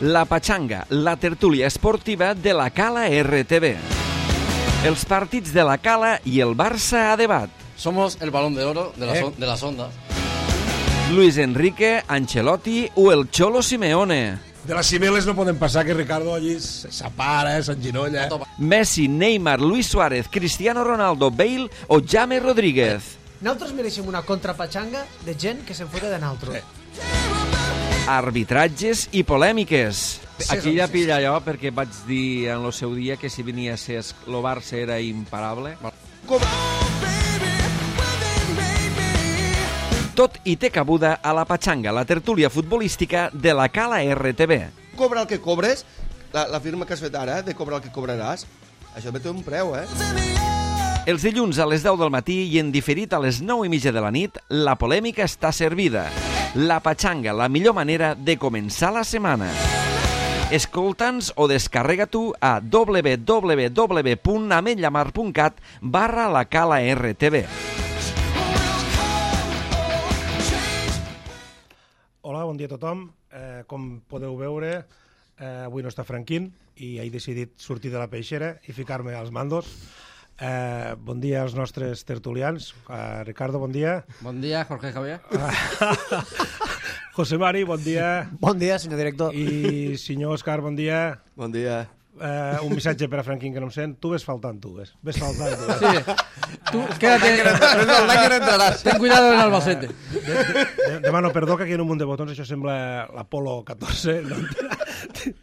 La Pachanga, la tertúlia esportiva de la Cala RTV. Els partits de la Cala i el Barça a debat. Somos el balón de oro de las ondas. Luis Enrique, Ancelotti o el Cholo Simeone. De les cimeles no poden passar que Ricardo allí s'apara, s'enginolla. Messi, Neymar, Luis Suárez, Cristiano Ronaldo, Bale o James Rodríguez. Nosaltres mereixem una contrapatxanga de gent que se'n fota de nosaltres. Arbitratges i polèmiques. Aquí ja pilla jo, perquè vaig dir en el seu dia que si venia a ser el Barça era imparable. Tot i té cabuda a la Pachanga, la tertúlia futbolística de la Cala RTV. Cobra el que cobres, la firma que has fet ara, de cobrar el que cobraràs, això té un preu, Els dilluns a les 10 del matí i en diferit a les 9:30 de la nit, la polèmica està servida. La Pachanga, la millor manera de començar la setmana. Escolta'ns o descarrega tu a www.ametllamar.cat/la Cala RTV. Hola, bon dia a tothom. Com podeu veure, avui no està Franquín i he decidit sortir de la peixera i ficar-me als mandos. Bon dia als nostres tertulians. Ricardo, bon dia. Bon dia, Jorge Javier. José Mari, bon dia. Bon dia, senyor director. I senyor Òscar, bon dia. Bon dia. Un missatge per a Franquín que no em sent. Tu ves faltant, tu. Ves faltant, tu. Sí. Tú, quédate. Ten cuidado en Albacete. Demano perdó que aquí en un munt de botons això sembla l'Apolo 14. No?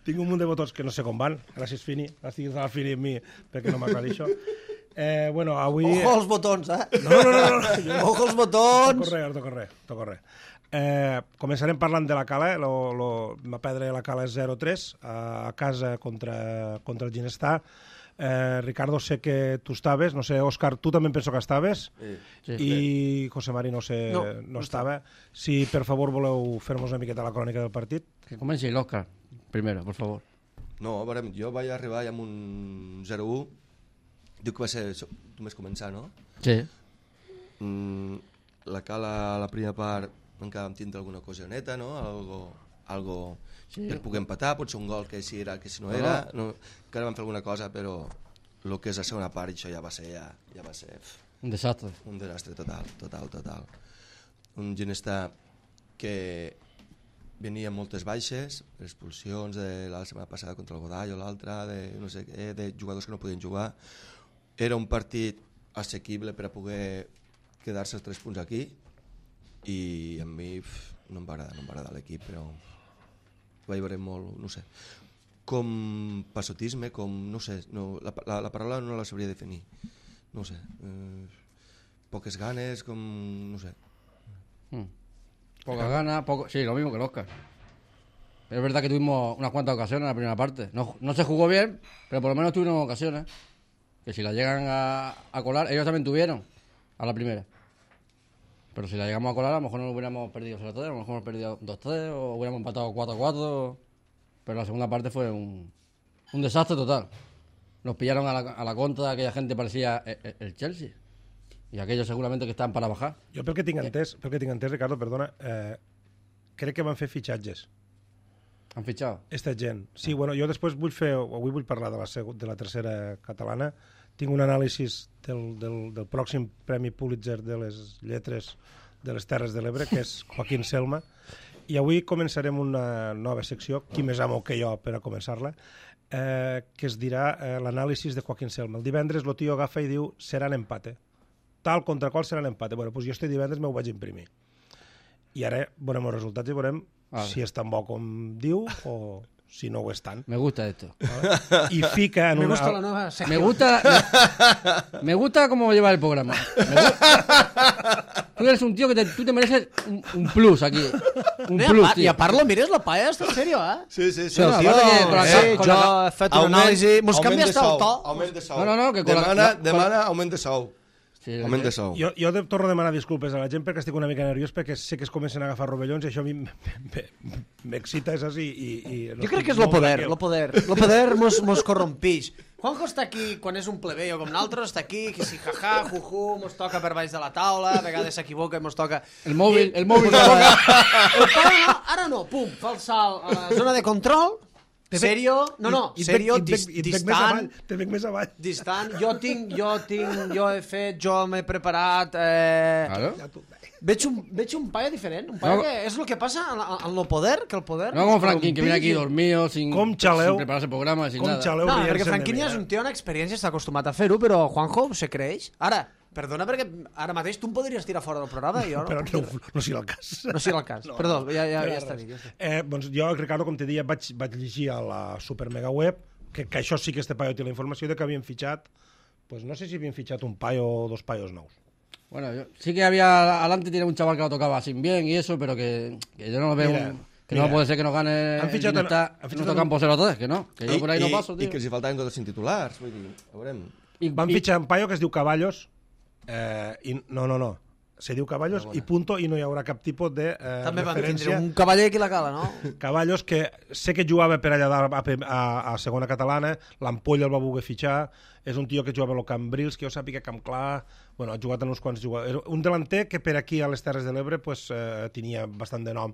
Tinc un munt de botons que no sé com van. Gràcies, Fini. Estiguis a la Fini amb mi perquè no m'aclari això. Bueno, avui... Ojo als botons, No. Ojo als botons. Toco res. Començarem parlant de la Cala. Va perdre la Cala 0-3 a casa contra el Ginestar. Ricardo, sé que tu estaves, no sé, Òscar, tu també penso que estaves, i José Mari no estava. Si per favor voleu fer-nos una miqueta la crònica del partit. Que comenci l'Òscar, primero, por favor. No, jo vaig arribar amb un 0-1. Diu que va ser només començar, no? Sí. La Cala, la primera part, encara vam tindre alguna cosioneta, no? Algo per poder empatar, potser un gol que si era, que si no era, encara vam fer alguna cosa, però el que és la segona part, això ja va ser Un desastre. Un desastre total. Un Ginestar que venia amb moltes baixes, expulsions de la setmana passada contra el Godall o l'altra, de no sé què, de jugadors que no podien jugar. Era un partit assequible per a poder quedar-se els 3 punts aquí, i a mi no em va agradar l'equip, però vaig veure molt, no sé, com passotisme, com, no sé, la paraula no la sabria definir, no sé, poques ganes, com, no sé. Poca gana, sí, lo mismo que el Óscar. Es verdad que tuvimos unas cuantas ocasiones en la primera parte. No se jugó bien, pero por lo menos tuvimos ocasiones. Que si la llegan a colar, ellos también tuvieron a la primera. Pero si la llegamos a colar, a lo mejor no hubiéramos perdido 0-3, a lo mejor hemos perdido 2-3 o hubiéramos empatado 4-4. Pero la segunda parte fue un desastre total. Nos pillaron a la contra, aquella gente parecía el Chelsea. I aquells segurament que estan per a bajar. Jo pel que tinc entès, Ricardo, perdona, crec que van fer fitxatges. Han fitxat? Esta gent. Sí, bueno, jo després avui vull parlar de la tercera catalana. Tinc un anàlisi del pròxim Premi Pulitzer de les lletres de les Terres de l'Ebre, que és Joaquín Selma, i avui començarem una nova secció, qui més amo que jo per a començar-la, que es dirà l'anàlisi de Joaquín Selma. El divendres el tio agafa i diu seran empate. Tal contra qual serà l'empate. Bueno, doncs jo este divendres m'ho vaig imprimir. I ara veurem els resultats i veurem si és tan bo com diu o si no ho és tant. Me gusta esto. I fica en Me una... gusta la nueva sección. Me gusta cómo lleva el programa. Tú eres un tío que tú te mereces un plus aquí. Un plus, tío. I a part lo mires la paella, està en serio, Sí. Jo he fet una anàlisi... Mos canvies el to. Augment de sou. No, que demana augment de sou. Sí, Augment de sou. Jo torno a demanar disculpes a la gent perquè estic una mica nerviós perquè sé que es comencen a agafar rovellons i això a mi m'excita, és així. Jo crec que és lo poder. Lo poder mos corrompix. Juanjo està aquí quan és un plebeio com nosaltres, està aquí, que si jaja, juju, mos toca per baix de la taula, a vegades s'equivoca i mos toca... El mòbil El pare no, ara no, pum, fa el salt a la zona de control, serio, serio, distant, te veig més avall. distant, jo he fet, jo m'he preparat... Claro. Veig un paio diferent, un paio que és el que passa en lo poder, que el poder... No com Franquín, que viene aquí dormido, sin prepararse el programa, sin nada. Xaleu, No, perquè Franquín ja és un tio amb experiència, està acostumat a fer-ho, però Juanjo se creix. Ara, perdona, perquè ara mateix tu em podries tirar fora del programa i jo no. Però no sigui el cas. No sigui el cas. Perdó, ja està dit. Doncs jo, Ricardo, com te deia, vaig llegir a la super mega web que això sí que este paio té la informació de que havien fitxat, pues no sé si havien fitxat un paio o dos paios nous. Bueno, sí que había adelante tiene un chaval que lo tocaba sin bien y eso, pero que yo no lo veo no puede ser que no gane han fichado nuestro campo 0-3, que no, que yo por ahí no paso, tío. I que els hi faltaven tots els titulars, vull dir, veurem. Van fitxar un paio que es diu Caballos i no, se diu Caballos i punto, i no hi haurà cap tipus de També van referència. tindre un cavaller aquí la cala, no? Caballos, que sé que jugava per allà dalt a segona catalana, l'Ampolla el va voler fitxar, és un tio que jugava al Cambrils, que jo sàpiga Camp Clar, bueno, ha jugat en uns quants jugadors. Un delanter que per aquí a les Terres de l'Ebre pues, tenia bastant de nom,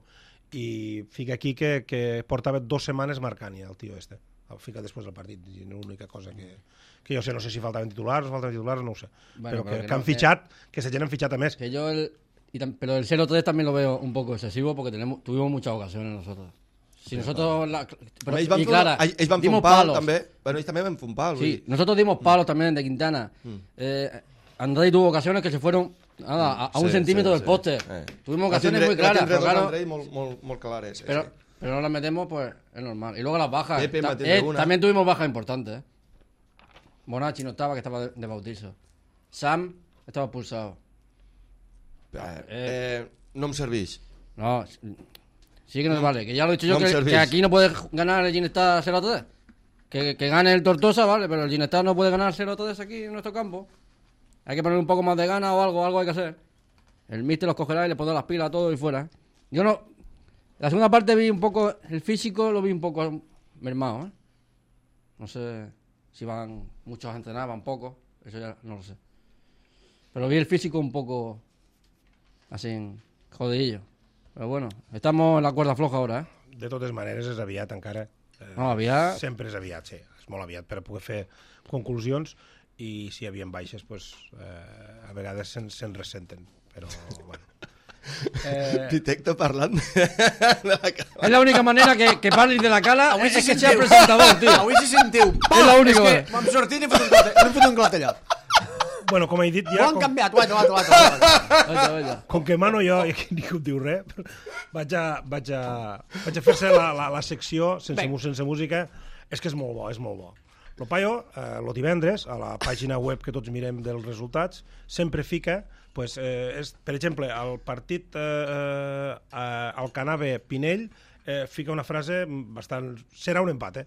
i fica aquí que portava 2 setmanes marcant ja el tio este. El fica després del partit, i l'única cosa que jo sé, no sé si faltaven titulars, no ho sé. Bueno, però que han fitxat, que se gent han fitxat a més. Que yo pero el 0-3 también lo veo un poco excesivo porque tuvimos muchas ocasiones nosotros. Si nosotros Ells van fer un pal, també. Bueno, ells també van fer un pal. Sí, nosotros dimos palos también de Quintana. Andrei tuvo ocasiones que se fueron a un centímetro del poste. Tuvimos ocasiones muy claras, pero claro. Andrei molt clares. Pero no las metemos, pues es normal. Y luego las bajas. Pepe también tuvimos bajas importantes. Bonacci no estaba, que estaba de bautizo. Sam estaba expulsado. No em serveix. No, sí que nos vale. Que ya lo he dicho yo, que aquí no puede ganar el Ginestad 0-3. Que gane el Tortosa, vale, pero el Ginestad no puede ganar 0-3 aquí en nuestro campo. Hay que poner un poco más de gana o algo hay que hacer. El míster los cogerá y le pondrá las pilas a todo y fuera. Yo no... La segunda parte vi un poco... El físico lo vi un poco mermado, ¿eh? No sé si van muchos a entrenar, van pocos. Eso ya no lo sé. Pero vi el físico un poco... Así, jodidillo. Però bueno, estamos en la cuerda floja ahora, ¿eh? De totes maneres, és aviat encara. No, aviat... Sempre és aviat, sí. És molt aviat per a poder fer conclusions, i si hi havia baixes, pues, a vegades se'n ressenten. Però, bueno... Pitecto parlant Es la única manera que parlis de la cala és que sea presentador, tío. Avui se sentiu. És l'únic. És que m'hem sortit i m'hem fet un clatellot. Bueno, com he dit Ho ja... han canviat, guaita. Com que mano jo, i aquí ningú et diu res, vaig a fer-se la secció sense música. És que és molt bo, és molt bo. El paio, el divendres, a la pàgina web que tots mirem dels resultats, sempre fica, pues, per exemple, al partit al Canave Pinell, fica una frase bastant... Serà un empat,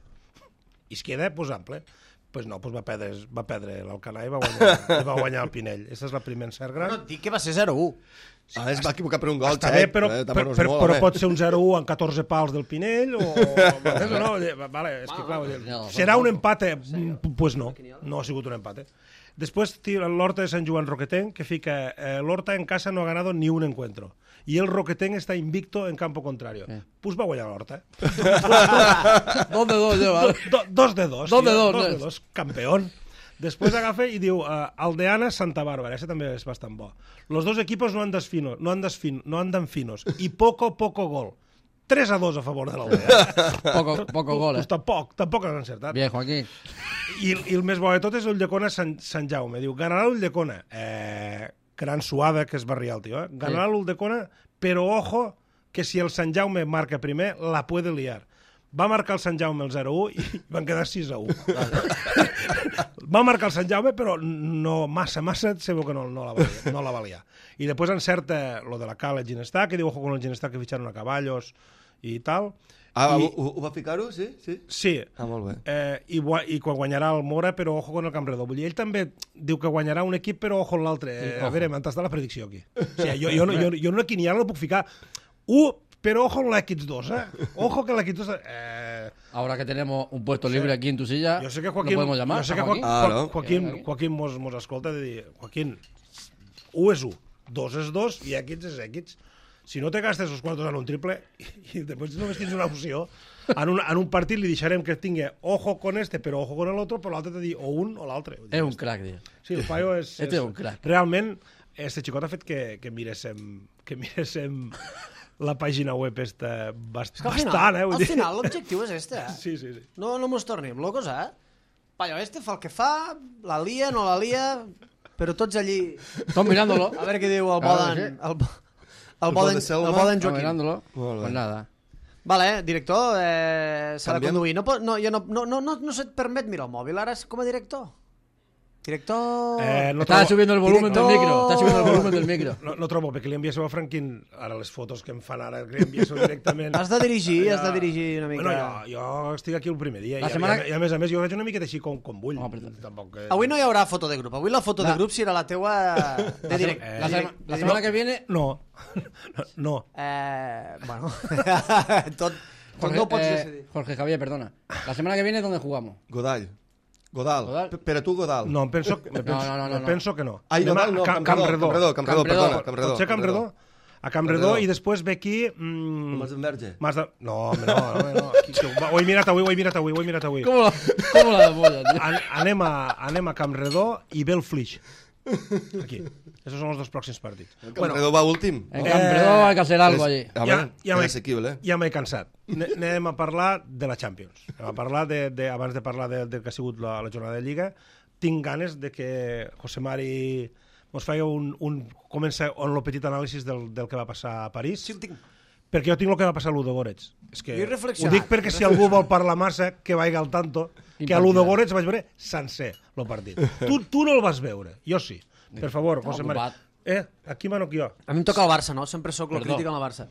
I es queda, pues, ample. Pues no, pues va perdre l'Alcanar i va guanyar el Pinell. Aquesta és la primera encert gran. No, dic que va ser 0-1. Es va equivocar per un gol, Està bé, però pot ser un 0-1 amb 14 pals del Pinell o no, vale, és que clar, serà un empat, pues no ha sigut un empat. Després l'Horta de Sant Joan Roquetenc, que fica l'Horta en casa no ha ganado ni un encuentro y el Roquetenc está invicto en campo contrario. Pues va guanyar l'Horta. 2-2 lleva. 2-2, campeón. Después agafa i diu Aldeana Santa Bàrbara, ese també és bastant bo. Los dos equipos no andan finos y poco gol. 3-2 a favor de l'Aldea. Poco gol, Pues tampoc has encertat. Bien, Joaquín. I el més bo de tot és Ulldecona Sant Jaume. Diu, ganarà l'Ulldecona. Gran suada que es va riar el tio, Ganarà l'Ulldecona, però ojo, que si el Sant Jaume marca primer, la puede liar. Va marcar el Sant Jaume el 0-1 i van quedar 6-1. Va marcar el Sant Jaume, però no massa, se veu que no la va liar. I després encerta lo de la Cala Ginestà, que diu, ojo con el Ginestà que fitxaron a Caballos i tal. Ho va ficar-ho, sí? Sí. Molt bé. I quan guanyarà el Mora, però ojo con el Campredó. Vull dir, ell també diu que guanyarà un equip, però ojo amb l'altre. A veure, m'han tastat la predicció aquí. O sigui, jo no aquí ni ara no puc ficar 1, pero ojo con la X2, Ojo que la X2... Ahora que tenemos un puesto libre aquí en tu silla, yo sé que Joaquín, ¿lo podemos llamar? Yo sé que Joaquín mos escolta de dir, Joaquín, 1 és 1, 2 és 2 i X és X. Si no te gastes els quartos en un triple i després només tens una opció, en un partit li deixarem que tingui ojo con este, però ojo con el otro, però l'altre te dir o un o l'altre. És un crack, tío. Sí, el paio és un crack. Realment, este xicot ha fet que miréssim la pàgina web esta bastant, Al final l'objectiu és este, Sí. No mos tornem locos, Paio, este fa el que fa, la lia, no la lia, però tots allí... Estamos mirándolo. A veure què diu el Boden... El Boden Joaquín. Mirándolo. Pues nada. Vale, director, s'ha de conduir. No se't permet mirar el mòbil ara com a director? Director... Está subiendo el volumen del micro. Está subiendo el volumen del micro. No trobo, perquè li enviéssiu a Franquín ara les fotos que em fan ara, que li enviéssiu directament. Has de dirigir una mica. Bueno, jo estic aquí el primer dia i a més jo veig una miqueta així com vull. Avui no hi haurà foto de grup. Avui la foto de grup serà la teua de directe. La setmana que viene... No. Bueno, tot no pots decidir. Jorge Javier, perdona. La semana que viene, ¿dónde jugamos? Godall. Per a tu, Godall. No, penso que no. Ai, Godall no, Campredó, perdona. Pot ser Campredó? A Campredó i després ve aquí... Mas d'Enverge. No, ho he mirat avui. ¿Cómo la polla, tío? Anem a Campredó i ve el Flix. Aquí. Esos son los 2 pròxims partits. Campredó va últim. En Campredó hay que hacer algo allí. És assequible. Ja m'he cansat. Anem a parlar de la Champions. Anem a parlar abans de parlar del que ha sigut la jornada de Lliga. Tinc ganes de que José Mari mos faci comença un petit anàlisi del que va passar a París. Sí, el tinc. Perquè jo tinc el que va passar a Ludogorets. Ho dic perquè si algú vol parlar massa, que vagi al tanto, que a Ludogorets vaig veure sencer el partit. Tu no el vas veure, jo sí. Per favor, José Mari. Aquí mano que jo. A mi em toca el Barça, no? Sempre sóc el crític amb el Barça.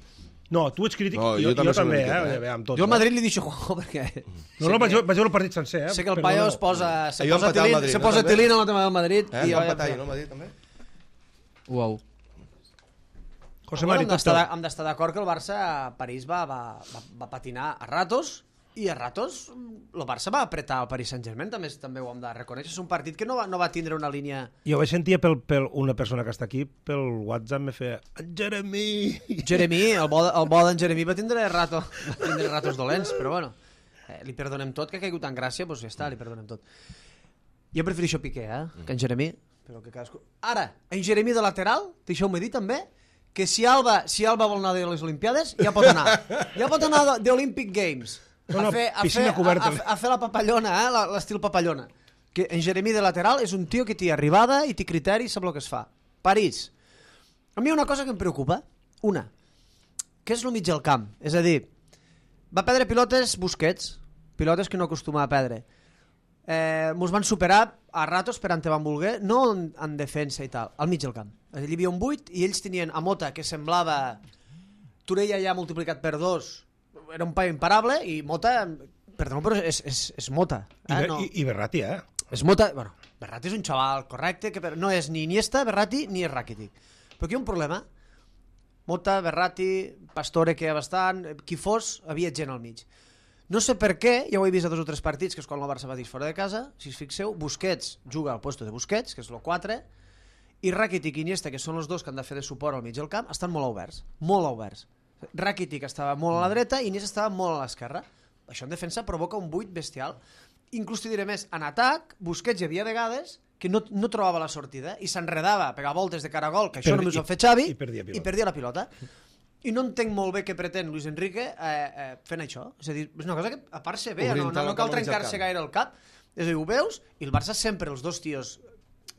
No, tu ets crític, jo també, amb tot. Jo al Madrid li deixo Juanjo perquè... No, vaig veure el partit sencer, Sé que el paio se posa tilín en la tema del Madrid. I va empatar ahir, no, el Madrid també? Uau. José Mari, hem d'estar d'acord que el Barça a París va patinar a ratos i a ratos el Barça va apretar el Paris Saint-Germain, també ho hem de reconèixer. És un partit que no va tindre una línia... Jo vaig sentir per una persona que està aquí, pel WhatsApp me feia Jeremy, el bo d'en Jeremy va tindre ratos dolents, però bueno, li perdonem tot, que ha caigut en gràcia, doncs ja està, li perdonem tot. Jo prefereixo Piqué, que en Jeremy, però que cadascú... Ara, en Jeremy de lateral, deixeu-me dir també, que si Alba vol anar de les Olimpiades, ja pot anar d'Olympic Games. A fer la papallona, l'estil papallona. Que en Jeremy de lateral és un tio que té arribada i té criteri i sap el que es fa. París. A mi hi ha una cosa que em preocupa. Una, que és el mig del camp. És a dir, va perdre pilotes Busquets, pilotes que no acostuma a perdre. Mos van superar a ratos per on te van voler, no en defensa i tal, al mig del camp. Hi havia un 8 i ells tenien a Mota, que semblava Torella ja multiplicat per 2, era un paio imparable, i Mota, perdó, però és Mota. I Berratti, És Mota, bueno, Berratti és un xaval correcte, que no és ni Iniesta, Berratti, ni és Rakitic. Però aquí hi ha un problema. Mota, Berratti, Pastore, que hi ha bastant, qui fos, havia gent al mig. No sé per què, ja ho he vist a 2 o 3 partits, que és quan el Barça va dir fora de casa, si us fixeu, Busquets juga al puesto de Busquets, que és el 4, i Rakitic i Iniesta, que són els dos que han de fer de suport al mig del camp, estan molt oberts. Rakitic estava molt a la dreta i Iniesta estava molt a l'esquerra. Això en defensa provoca un buit bestial. Inclús t'hi diré més, en atac, Busquets hi havia vegades que no trobava la sortida i s'enredava a pegar voltes de cara a gol, que això només ho ha fet Xavi, i perdia la pilota. I no entenc molt bé què pretén Luis Enrique fent això. És a dir, és una cosa que a part se ve, no cal trencar-se gaire el cap. És a dir, ho veus, i el Barça sempre, els dos tios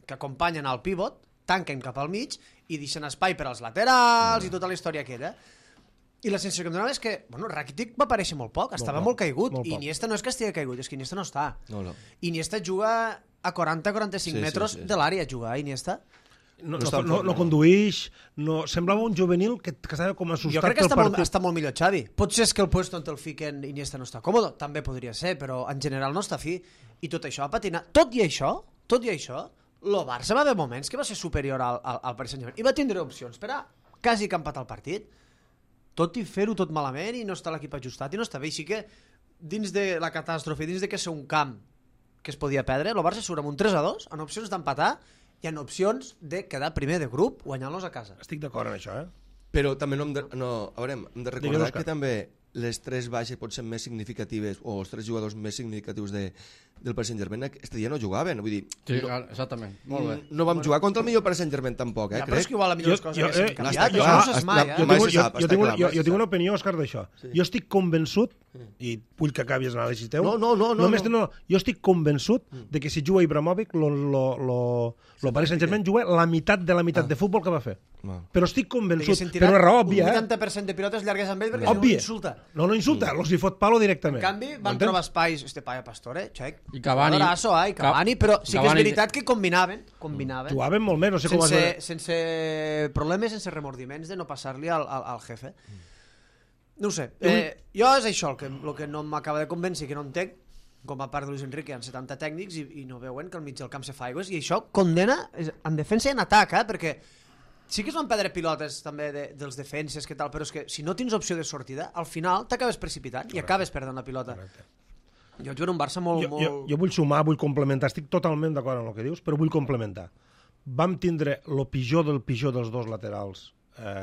que acompanyen al pivot, tanquen cap al mig i deixen espai per als laterals i tota la història aquella. I la sensació que em donava és que, bueno, Rakitic va aparèixer molt poc, estava molt caigut, i Iniesta no és que estigui caigut, és que Iniesta no està. Iniesta juga a 40-45 metres de l'àrea, juga Iniesta. no conduïx, semblava un juvenil que estava com Jo assustat crec que pel partit. està molt millor Xavi. Potser és que el puesto on el fiquen Iniesta no està còmode, també podria ser, però en general no està fi. I tot això va patinar. Tot i això, el Barça va haver moments que va ser superior al Paris Saint-Germain i va tindre opcions per a quasi que empatar el partit, tot i fer-ho tot malament i no està l'equip ajustat i no està bé. Així que dins de la catàstrofe, dins de que ser un camp que es podia perdre, el Barça surt amb un 3-2 en opcions d'empatar i en opcions de quedar primer de grup guanyant-los a casa. Estic d'acord en això, Però també hem de recordar Òscar. que també les 3 baixes pot ser més significatives o els 3 jugadors més significatius del Paris Saint-Germain aquest dia no jugaven, vull dir, Sí, exactament. Molt bé. no vam jugar contra el millor Paris Saint-Germain tampoc, Ja, però és crec. que igual la millor cosa que s'han canviat, està això clar, no saps mai, està- Jo Mai tinc, se sap, jo, està tinc, clar, mai se jo tinc sap. una opinió, Òscar, d'això. Jo estic convençut, i vull que acabi l'anàlisi teu, No. jo estic convençut de que si juga Ibrahimovic, el Paris Saint-Germain juga la meitat de la meitat de futbol que va fer. Però estic convençut, per una raó òbvia, un 80% de pilotes llargues amb ell perquè si no òbvia. insulta. No insulta, los li fot palo directament. En canvi, van M'entens? trobar espais, Paya Pastore, Check, I Cavani. i Cavani, però sí que és Cavani- veritat que combinaven. Jugaven molt més, no sé com va ser. Sense problemes, sense remordiments de no passar-li al jefe. No ho sé. Jo és això el que no m'acaba de convèncer, que no entenc, com a part de Luis Enrique, hi ha 70 tècnics i no veuen que al mig del camp se fa aigües, i això condena en defensa i en atac, perquè sí que es van perdre pilotes també dels defenses, que tal, però és que si no tens opció de sortida, al final t'acabes precipitant i acabes perdent la pilota. Jo jugo en un Barça molt... Jo vull sumar, vull complementar, estic totalment d'acord amb el que dius, però vull complementar. Vam tindre el pitjor del pitjor dels dos laterals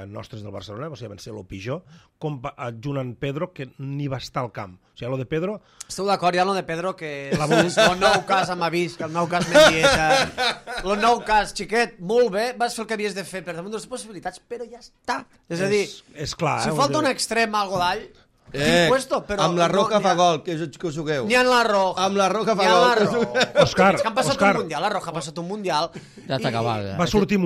nostres del Barcelona, o sigui, van ser el pitjor, junt amb Pedro, que ni va estar al camp. O sigui, lo de Pedro... Esteu d'acord ja amb lo de Pedro, que és el nou cas amb avís, que el nou cas Mendieta, el nou cas, xiquet, molt bé, vas fer el que havies de fer per damunt de les possibilitats, però ja està. És a dir, és clar, si falta un extrem al Godall, puesto, però amb la Roca no, fa gol, que us jugueu. Ni en la Roja. Amb la Roja fa Ni en la gol. Roja. Òscar, És que han passat Òscar. un mundial, la Roja ha passat un mundial. Ja està acabat. Ja. Va sortir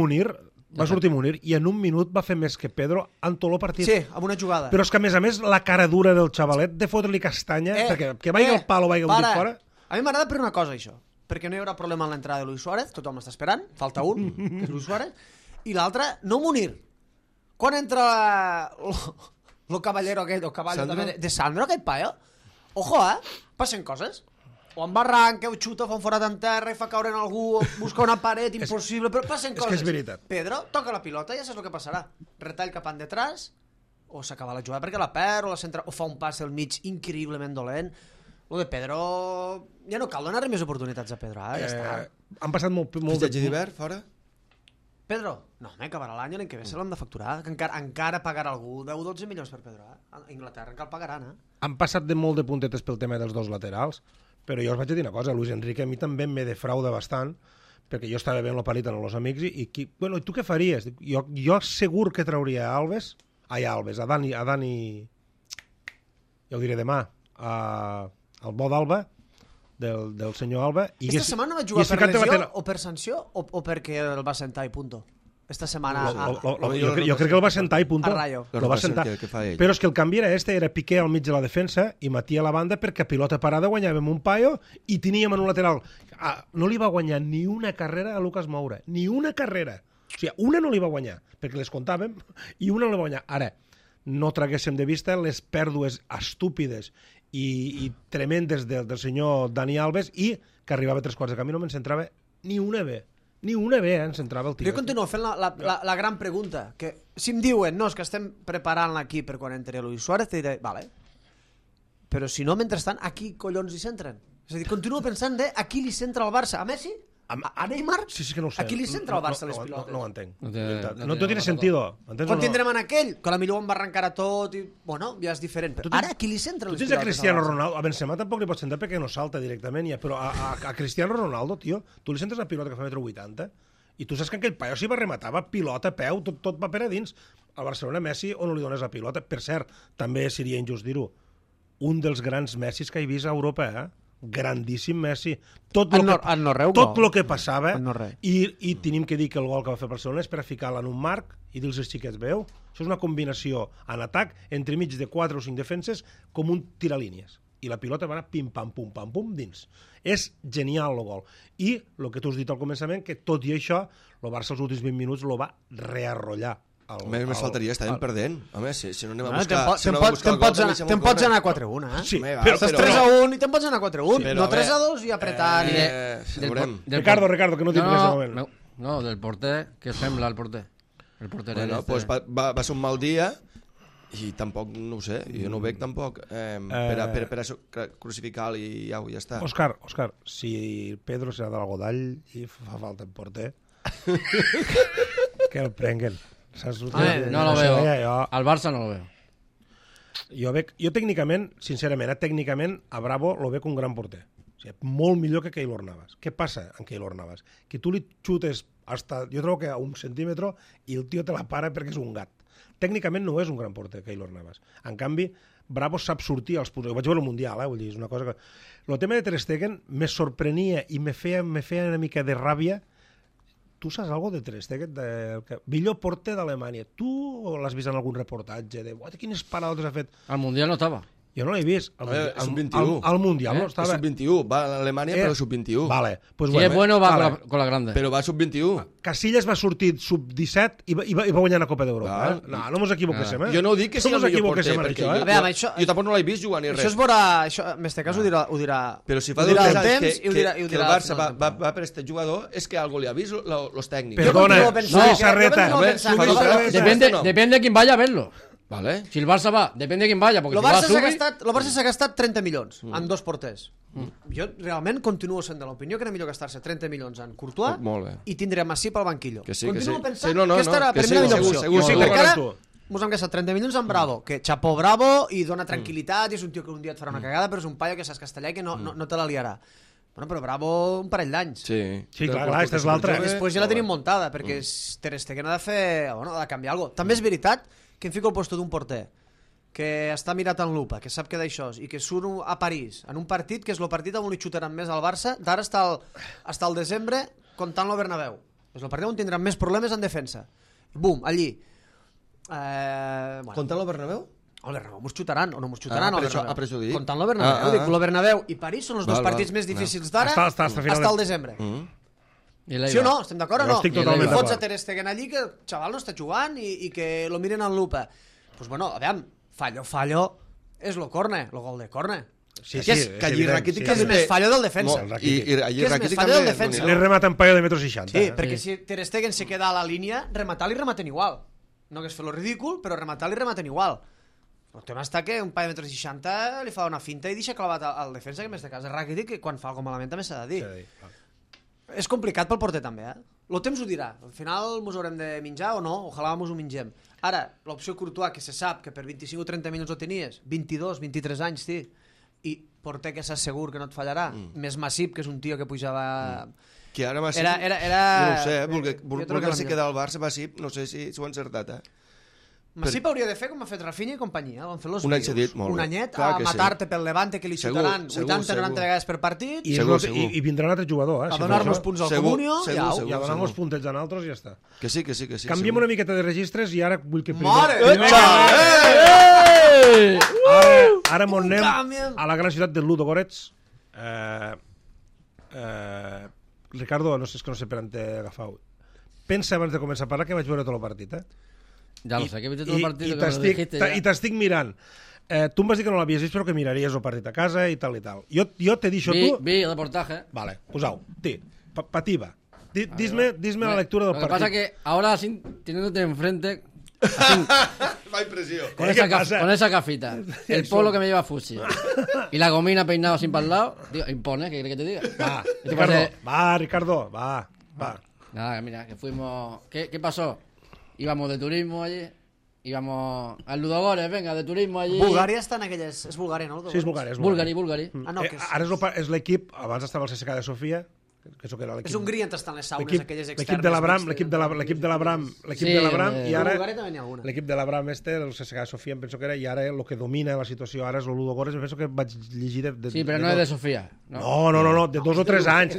Munir i en un minut va fer més que Pedro en tot el partit. Sí, amb una jugada. Però és que, a més, la cara dura del xavalet de fotre-li castanya, perquè que vagi el palo, vagi un dit fora... A mi m'agrada per una cosa, això. Perquè no hi haurà problema en l'entrada de Luis Suárez, tothom està esperant, falta un, que és Luis Suárez, i l'altre, no Munir. Quan entra lo caballero aquest, o caballo també, de Sandro, aquest paio, ojo, passen coses. O en barranc, que ho xuta, fa un forat en terra i fa caure en algú, o busca una paret impossible, però passen coses. És que és veritat. Pedro toca la pilota i ja saps el que passarà. Retall cap endetrás, o s'acaba la jugada perquè la perd, o la centra, o fa un pas al mig increïblement dolent. Lo de Pedro... Ja no cal donar-li més oportunitats a Pedro, ja està. Han passat molt Fitxatge d'hivern, fora? Pedro? No, home, acabarà l'any l'any que ve se l'han de facturar, que encara pagarà algú 10-12 milions per Pedro, A Inglaterra encara el pagaran, Han passat molt de puntetes pel tema dels dos laterals, però jo us vaig dir una cosa, Luis Enrique a mi també me defrauda bastant, perquè jo estava veient la parit amb els amics i bueno, i tu què faries? Jo segur que trauria a Alves, a Dani, ja ho diré demà, al bo d'Alba, del senyor Alba. Esta setmana no vaig jugar per lesió o per sanció o perquè el va sentar i punto? Esta setmana... Jo crec que el va sentar i punto. A Rayo. El va sentar. Però és que el canvi era Piqué al mig de la defensa i Matí a la banda perquè a pilota parada guanyàvem un paio i teníem en un lateral. No li va guanyar ni una carrera a Lucas Moura. Ni una carrera. O sigui, una no li va guanyar, perquè les comptàvem, i una no li va guanyar. Ara, no traguéssim de vista les pèrdues estúpides i tremendes del senyor Dani Alves i que arribava a 3/4 de camí no me'n centrava ni una B. Ni una B ens entrava el tio. Jo continuo fent la gran pregunta, que si em diuen, no, és que estem preparant l'equip per quan entri Luis Suárez, te diré, vale, però si no, mentrestant, a qui collons hi centren? És a dir, continuo pensant de a qui li centra el Barça, a Messi? A Neymar? Sí, que no ho sé. A qui li centra el Barça les pilotes? No ho entenc. No tiene sentido. Quan tindrem en aquell, que potser em va arrencar a tot i, bueno, ja és diferent, però ara a qui li centra les pilotes? Tu tens a Cristiano Ronaldo, a Benzema tampoc li pots centrar perquè no salta directament, però a Cristiano Ronaldo, tio, tu li centres una pilota que fa 1,80 m i tu saps que aquell paio s'hi va rematar, va pilota, peu, tot va per a dins. Al Barcelona Messi o no li dones la pilota? Per cert, també seria injust dir-ho, un dels grans Messis que he vist a Europa, grandíssim Messi. Tot el que passava, i tenim que dir que el gol que va fer Barcelona és per a ficar-la en un marc i dir-los als xiquets, veu? Això és una combinació en atac entre mig de 4 o 5 defenses com un tiralínies. i la pilota va anar pim-pam-pum dins. És genial el gol. I el que tu has dit al començament, que tot i això, el Barça els últims 20 minuts lo va rearrollar. Més faltaria, estàvem perdent. Home, si no anem a Te'n buscar... pots anar 4-1, eh? Sí, Home, però... Estàs 3-1 i te'n pots anar 4-1. Sí, No però, 3-2 i apretant. Veurem. Ricardo, que no tinc res de moment. No, del porter, què sembla el porter? El porter Bueno, pues va ser un mal dia i tampoc, no ho sé, jo no ho veig tampoc per a crucificar-lo i ja està. Òscar, si Pedro serà de l'Algodall i fa falta en porter, que el prenguen. No lo veo. Al Barça no lo veo. Jo tècnicament, sincerament, tècnicament a Bravo lo veig un gran porter. O sigui, molt millor que Keylor Navas. Què passa amb Keylor Navas? Que tu li xutes jo trobo que a 1 centímetre i el tio te la para perquè és un gat. Tècnicament no és un gran porter, Keylor Navas. En canvi, Bravo sap sortir als punts. Ho vaig veure al Mundial, vull dir, és una cosa que... El tema de Ter Stegen me sorprenia i me feia una mica de ràbia. Tu saps alguna cosa de Ter Stegen? Millor porter d'Alemanya. Tu l'has vist en algun reportatge de quines parades ha fet? Al Mundial no estava. Jo no l'he vist. Sub-21. Al Mundial no estava. Sub-21. Va a Alemanya, però sub-21. Vale. Pues si és bueno, va con la grande. Però va sub-21. Casillas va sortir sub-17 i va guanyar la Copa d'Europa. No ens equivoquéssim. Jo no dic que sigui el millor porter, perquè jo tampoc no l'he vist jugar ni res. Això es veurà... En aquest cas ho dirà... Però si fa 2 anys que el Barça va per aquest jugador, és que algo li ha vist los tècnics. Perdona, Luis Arreta. Depende de quién vaya a verlo. Vale. Si el Barça va, depèn de qui vaya, perquè el Barça s'ha gastat 30 milions en 2 porters. Jo realment continuo sent de l'opinió que era millor gastar-se 30 milions en Courtois i tindre Masip al banquillo. Continuo pensant que aquesta era la primera millor opció. Perquè ara mos hem gastat 30 milions en Bravo, que xapó Bravo i dona tranquil·litat, i és un tio que un dia et farà una cagada, però és un paio que saps castellà i que no te la liarà. Bueno, però Bravo un parell d'anys. Sí, clar, aquesta és l'altra. Després ja la tenim muntada, perquè Ter Stegen ha de fer... Bueno, ha de canviar alguna cosa. També és veritat que em fico al puesto d'un porter que està mirat en lupa, que sap que d'això i que surt a París en un partit que és el partit on li xutaran més al Barça d'ara està al desembre comptant el Bernabéu. És el partit on tindran més problemes en defensa. Bum, allí. Comptant el Bernabéu? El Bernabéu mos xutaran o no mos xutaran per això dic. comptant el Bernabéu. Dic, el Bernabéu i París són els dos partits més difícils d'ara hasta el desembre. Sí o no? Estem d'acord o no? Estic totalment d'acord. Fots a Ter Stegen allí que el xaval no està jugant i que lo miren en lupa. Pues bueno, a veure, fallo és lo corne, lo gol de corne. Sí, que allí Rakitic és més fallo del defensa. I allí Rakitic fallo del defensa. Le remata un paio de 1,60 m. Sí, perquè si Ter Stegen se queda a la línia, rematar-li rematen igual. No hagués fet lo ridícul, però rematar-li rematen igual. El tema està que un paio de 1,60 m li fa una finta i deixa clavat al defensa, que en este cas és Rakitic, que quan fa alguna malament també s'ha de dir. És complicat pel porter també, El temps ho dirà. Al final mos haurem de menjar o no, ojalà mos ho mengem. Ara, l'opció Courtois, que se sap que per 25 o 30 minuts ho tenies, 22, 23 anys, sí, i porter que saps segur que no et fallarà, més Masip, que és un tio que pujava... Que ara Masip... No ho sé, perquè se queda al Barça, Masip, no sé si ho ha encertat, Masip hauria de fer com ha fet Rafinha i companyia, van fer los un any cedit, molt bé. Un anyet a matar-te pel Levante, que li xutaran 80-90 vegades per partit. I vindrà un altre jugador, a donar-nos punts al Comunio i a donar-nos puntets a nosaltres i ja està. Que sí. Canviem una miqueta de registres i ara vull que... Mare! Ara m'on anem a la gran ciutat de Ludogorets. Ricardo, no sé per on t'he agafat. Pensa abans de començar a parlar que vaig veure tot el partit, Ja lo sé, que he vist tot el partit que me lo dijiste ja. I t'estic mirant. Tu em vas dir que no l'havies vist, però que miraries el partit a casa i tal i tal. Jo t'he dit tu... Vi el reportaje. Vale, posau. Pativa. Dime la lectura del partit. Lo que pasa que ahora, teniéndote enfrente... Va impresión. Con esa gafita, el polo que me lleva Fusi y la gomina peinado así para el lado, tío, impone, ¿qué quieres que te diga? Ricardo, va. Nada, mira, que fuimos... ¿Qué pasó? Íbamos de turismo allí, íbamos al Ludogorets, venga, de turismo allí... Bulgària està en aquelles... És Bulgària, no? Sí, és Bulgària. Bulgari. No, ara és l'equip, abans estava el CSKA de Sofia, que això que era l'equip... És Hongria on estan les saunes aquelles externes. L'equip de l'Abram, i ara... Bulgària també n'hi ha alguna. L'equip de l'Abram el CSKA de Sofia, em penso que era, i ara el que domina la situació ara és el Ludogorets, em penso que vaig llegir de... Sí, però no és de Sofia. No, de 2 o 3 anys.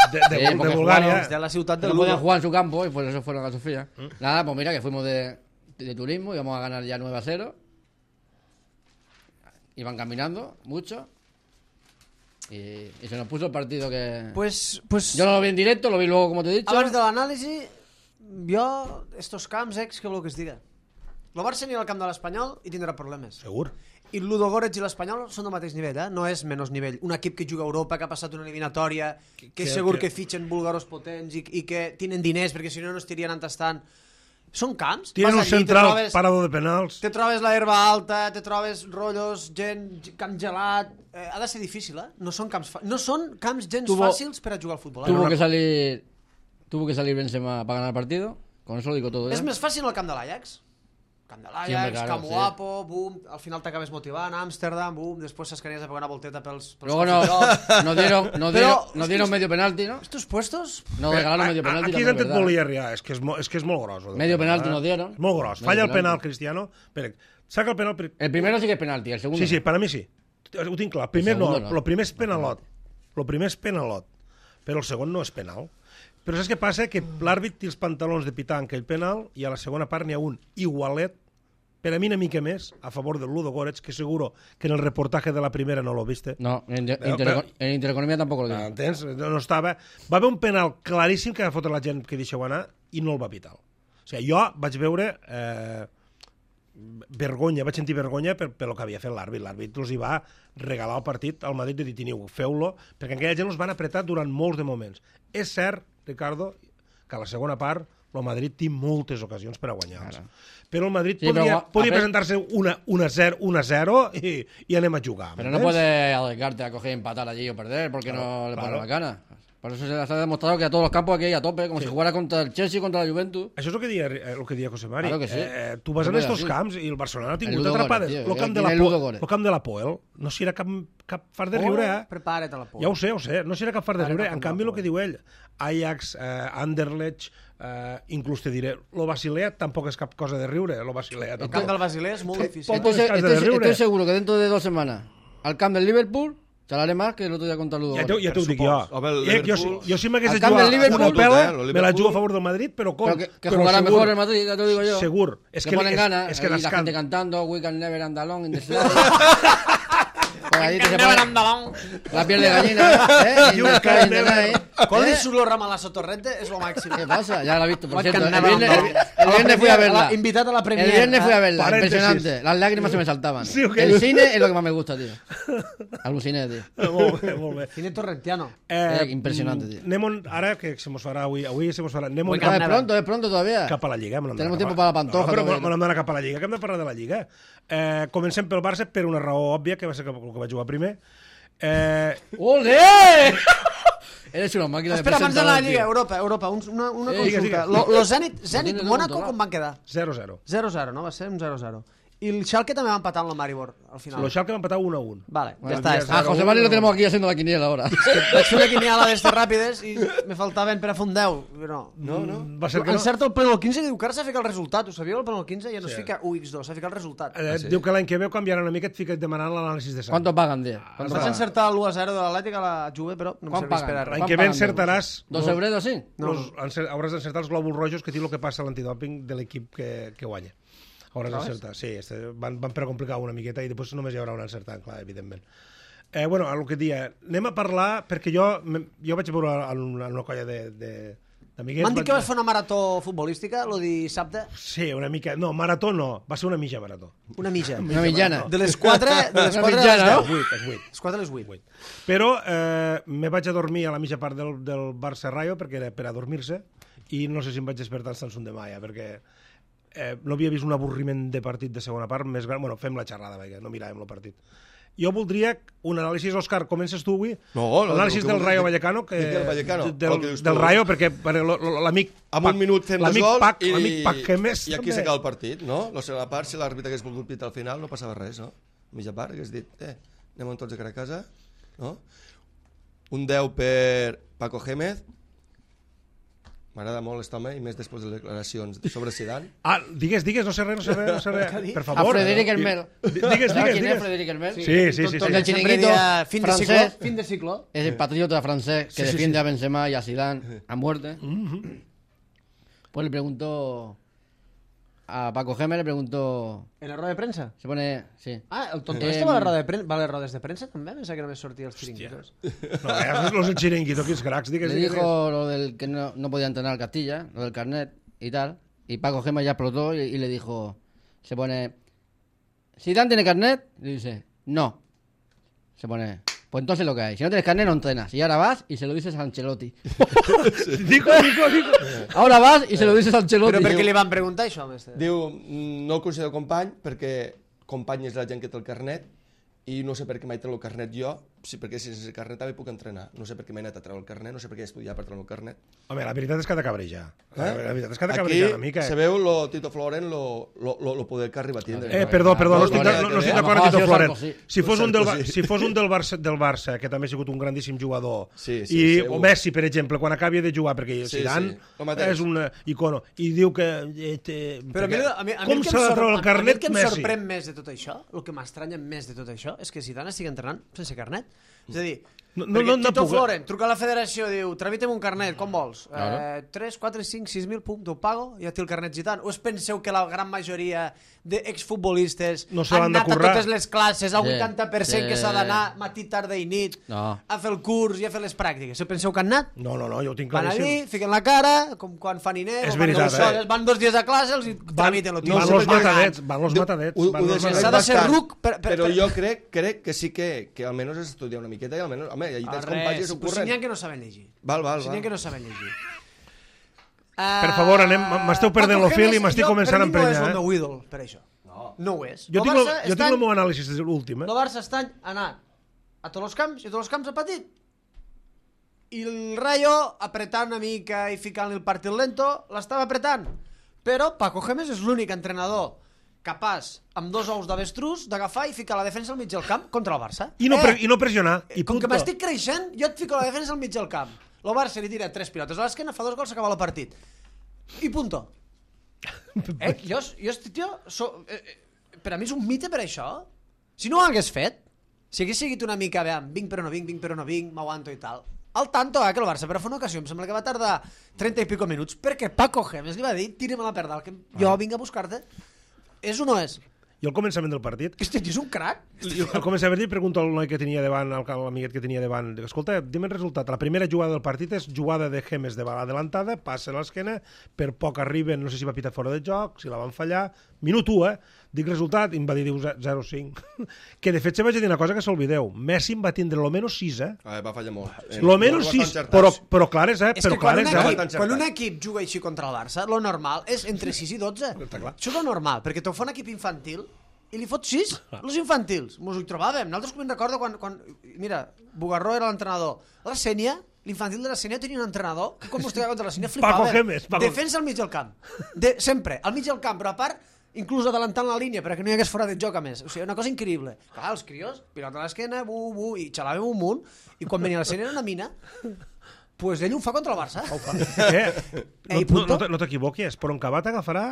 De Bulgaria. De la ciutat del no podían jugar en su campo y por eso fueron a Sofía. Nada, pues mira que fuimos de turismo, íbamos a ganar ya 9-0. iban caminando mucho y se nos puso el partido que... Pues Yo no lo vi en directo, lo vi luego, como te he dicho. abans de l'anàlisi, jo, estos camps, què vol que es diga? El Barça anirà al camp de l'Espanyol i tindrà problemes. Segur. I el Ludogorets i l'Espanyol són del mateix nivell, no és menys nivell. Un equip que juga a Europa, que ha passat una eliminatòria, que és segur que fitxen búlgaros potents i que tenen diners, perquè si no no estirien entastant. Són camps. Tienen un Vas allí, central parado de penals. te trobes la herba alta, te trobes rotllos, camp gelat... ha de ser difícil, No són camps gens fàcils per a jugar al futbol. Tuvo que salir Benzema para ganar el partido. Con eso lo digo todo. És més fàcil el camp de l'Ajax. Camp de l'Ajax, Siempre, claro, Camp sí. Guapo, boom, al final t'acabes motivant, Amsterdam, boom, després s'escanies a pegar una volteta pels Luego cofres. nos dieron medio penalti, ¿no? Estos puestos... No regalaron medio penalti. Aquí también, és on et ¿verdad? volia arribar, és que és molt gros. Medio penalti nos dieron. És molt gros. Medio Falla el penalti. penal Cristiano, saca el penal... El primero sí que es penalti, el segundo. Sí, sí, per a mi sí. Ho tinc clar. El primer no, segundo no. el primer és penalot. El primer és penalot, però el segon no és penal. Però saps què passa? Que l'àrbit té els pantalons de pitar en aquell penal i a la segona part n'hi ha un igualet, per a mi una mica més, a favor del Ludogorets, que seguro que en el reportatge de la primera no lo viste. No, en Intereconomía tampoco lo digo. Entens? No estava... Va haver un penal claríssim que va fotre la gent que deixeu anar i no el va pitar. O sigui, jo vaig veure vergonya, vaig sentir vergonya per el que havia fet l'àrbit. L'àrbit els hi va regalar el partit al Madrid de dir, teniu, feu-lo, perquè aquella gent els van apretar durant molts de moments. És cert, Ricardo, que a la segona part el Madrid té moltes ocasions per a guanyar-los. Però el Madrid podria presentar-se 1-0 i anem a jugar. Pero no puedes arriesgarte a coger y empatar allí o perder porque no le pones la gana. Por eso se les ha demostrado que a todos los campos aquí hay a tope, como si jugara contra el Chelsea, contra la Juventus. Això és el que deia José Mari. Claro que sí. Tu vas en estos camps i el Barcelona ha tingut Ludogorets, atrapades. tio. El camp de la Poel no serà cap far de riure, Prepara't a la por. Ja ho sé, no serà cap far de riure. En canvi, el que diu ell, Ajax, Anderlecht, inclús te diré, lo Basilea tampoc és cap cosa de riure, lo Basilea El camp tampoc. del Basilea és molt difícil. Estoy seguro que dentro de 2 semanas al camp del Liverpool charlaré más que el otro día contra el Ludogorets. Ja t'ho dic jo. Jo si m'hagués de camp del jugar Liverpool, una pela, el me la jugo a favor del Madrid, però com? Pero que jugará mejor el Madrid, ya te lo digo yo. Segur. Que ponen ganas, és que y la gente cantando We can never and alone in the slide. Por allí te se pone la piel de gallina, ¿eh? You can never. Quan li surt el Ramalazo Torrente és lo màxim. ¿Qué pasa? Ya la he visto, por What cierto. can El never viernes fui a verla. Invitat a la Premier. El viernes fui a verla, Paréntesis. impresionante. Las lágrimas se me saltaban. Sí, ok. El cine es lo que más me gusta, tío. Aluciné, tío. Molt bé, molt bé. Cine torrentiano. Impresionante, tío. Anem ara, que se mos farà avui se mos farà, anem Es pronto todavía. cap a la Lliga. Tenemos tiempo para la pantoja. No, però todavía. me n'hem d'anar cap a la Lliga, que hem de parlar de la Lliga. Comencem pel Barça per una raó òbvia, que va ser el que vaig jugar primer. ¡Ole! Eres una máquina de Espera, abans de la presentador, Lliga, tío. Europa, una Digues, consulta. digues. Lo Zenit tienes Mónaco todo com van quedar? 0-0. 0-0, no? Va ser un 0-0. I el Schalke també va empatar amb la Maribor, al final. Lo Schalke va empatar 1-1. Vale, Bueno, ja està. Ah, José Mari lo tenemos aquí haciendo la quiniela ahora. Vaig fer una quiniela d'estes ràpides i me faltaven per a fer un 10. No. Va ser que no. Encerta el pleno 15 i diu que ara s'ha ficat el resultat. Ho sabíeu, el pleno 15? Ja no es fica 1x2, s'ha ficat el resultat. Diu que l'any que ve canviarà una mica, et fica demanant l'anàlisi de sang. ¿Cuánto pagan, tío? Ens vaig encertar l'1-0 de l'Atlètic a la Juve, però no em Quan serveix paguen? per a res. L'any que ve encertaràs... ¿2 euros así? Hauràs d'encertar els glòbuls rojos que té el que passa a l'antidòping de l'equip que guanya. Hauràs d'encertar, sí. Van per a complicar una miqueta i després només hi haurà un encertant, clar, evidentment. Bueno, el que dia, anem a parlar, perquè jo vaig veure en una colla d'amiguets... M'han dit que vas fer una marató futbolística, lo dissabte. Sí, una mica... No, marató no, va ser una mitja marató. Una mitja. Una millana. De les 4 a les mitjana, 10. no? És 8. Les 4 a les 8. Però me vaig a dormir a la mitja part del Barça Rayo, perquè era per a dormir-se, i no sé si em vaig despertar el Samsung de Maia, perquè no havia vist un avorriment de partit de segona part més gran. Bueno, fem la xerrada, perquè no miràvem el partit. Jo voldria un anàlisi, Òscar, comences tu avui? No, l'anàlisi del Rayo Vallecano. Del Vallecano. Del Rayo, perquè l'amic... Amb un minut fem dos gols l'amic Paquemés. I aquí s'acaba el partit, no? La segona part, si l'àrbitre hagués volgut pitar al final, no passava res, no? Mitja part, hagués dit, anem tots a cara a casa, no? Un 10 per Paco Gémez. M'agrada molt aquest home, i més després de les declaracions sobre Zidane. Ah, digues, no sé res. Per favor. A Frederic Hermel. Digues. ¿Quién es Frederic Hermel? Sí. El chiringuito francés. Fin de ciclo. Es el patriota francés que defiende a Benzema y a Zidane a muerte. Pues le preguntó a Paco Gémez, le preguntó... ¿En la rueda de prensa? Se pone... Sí. Ah, el tonto este va a la rueda de prensa, va a les rodes de prensa també? Pensava que només sortia els xiringuitos. No, los del chiringuito, que es cracks, digues. Le dijo lo del que no podía entrenar Castilla, lo del carnet y tal. Y Paco Gémez ya explotó y le dijo... Se pone... ¿Zidane tiene carnet? Y dice... No. Se pone... Pues entonces lo que hay. Si no tienes carnet, no entrenas. Y ahora vas y se lo dices a Ancelotti. Dico. Ahora vas i se lo dices a Ancelotti. Però per què li van preguntar això, mestre? Diu, no el considero company perquè company és la gent que té el carnet i no sé per què mai té el carnet jo, sí, perquè sense carnet també puc entrenar. No sé per què m'he anat a treure el carnet, no sé per què he estudiat per treure el carnet. Home, la veritat és que ha de cabrejar. La veritat és que ha de Aquí cabrejar una mica. se veu lo Tito Floren lo poder que arriba a tindre. Perdó, no estic d'acord amb Tito Floren. Si fos un del Barça, que també ha sigut un grandíssim jugador, i o Messi, per exemple, quan acabi de jugar, perquè Zidane és un icono, i diu que... Però com s'ha de treure el carnet Messi? El que em sorprèn més de tot això, el que m'estranya més de tot això, és que Zidane estigui entrenant sense carnet. És a dir, Tito Floren truca a la federació, diu, tramita'm un carnet, com vols? 3, 4, 5, 6.000, pum, t'ho pago, ja té el carnet Zidane. O es penseu que la gran majoria d'exfutbolistes han anat a totes les classes, el 80% que s'ha d'anar matí, tarda i nit, a fer el curs i a fer les pràctiques? Se penseu que han anat? No, jo ho tinc claríssim. Van allí, fiquen la cara, com quan fan Inés, és veritat, van 2 dies a classe, els tramiten. Van los matadets. S'ha de ser ruc... Però jo crec que sí que almenys has estudiat una miqueta i almenys, home, allà tens companys que s'ho curren. Pues n'hi ha que no saben llegir. N'hi ha que no saben llegir. Per favor, m'esteu perdent el fil i m'estic començant a emprenyar. Per mi no és el meu ídol, per això. No ho és. Jo tinc el meu anàlisi de l'últim. El Barça està anat a tots els camps i a tots els camps ha patit. I el Rayo, apretant una mica i ficant-li el partit lento, l'estava apretant. Però Paco Gémez és l'únic entrenador capaç, amb 2 ous d'avestruz, d'agafar i ficar la defensa al mig del camp contra el Barça. I no pressionar. Com que m'estic creixent, jo et fico la defensa al mig del camp. El Barça li tira 3 pilotes a l'esquena, fa 2 gols, s'acaba el partit. I punto. Per a mi és un mite per això. Si no ho hagués fet, si hagués seguit una mica, vinc però no vinc, m'aguanto i tal. Al tanto, que el Barça, però fa una ocasió, em sembla que va tardar 30 i pico minuts, perquè Paco Gémez li va dir, tírame la perda, que jo vinc a buscar-te. És o no és? I al començament del partit... Hosti, és un crac. Al començament li pregunto al noi que tenia davant, al amiguet que tenia davant, escolta, dime el resultat. La primera jugada del partit és jugada de Gémez de bala adelantada, passa a l'esquena, per poc arriben, no sé si va pitar fora de joc, si la van fallar, minut 1, dic resultat, i em va dir 0-5. Que de fet se vaig dir una cosa que s'olvideu. Messi em va tindre lo menos 6, Va fallar molt. Lo menos 6, però clares, És que quan un equip juga així contra el Barça, lo normal és entre 6 i 12. Això és lo normal, perquè t'ho fa un equip infantil i li fot 6, els infantils. Mos ho trobàvem. Nosaltres me'n recordo quan... Mira, Bugarró era l'entrenador. La Sènia, l'infantil de la Sènia tenia un entrenador que quan mostrava contra la Sènia flipava. Defensa al mig del camp. Sempre, al mig del camp, però a part, inclús adelantant la línia perquè no hi hagués fora de joc a més. O sigui, una cosa increïble. Clar, els crios, pilota a l'esquena, i xalàvem un munt, i quan venia la Sènia era una mina, pues ell ho fa contra el Barça. No t'equivoquis, però en Cabat agafarà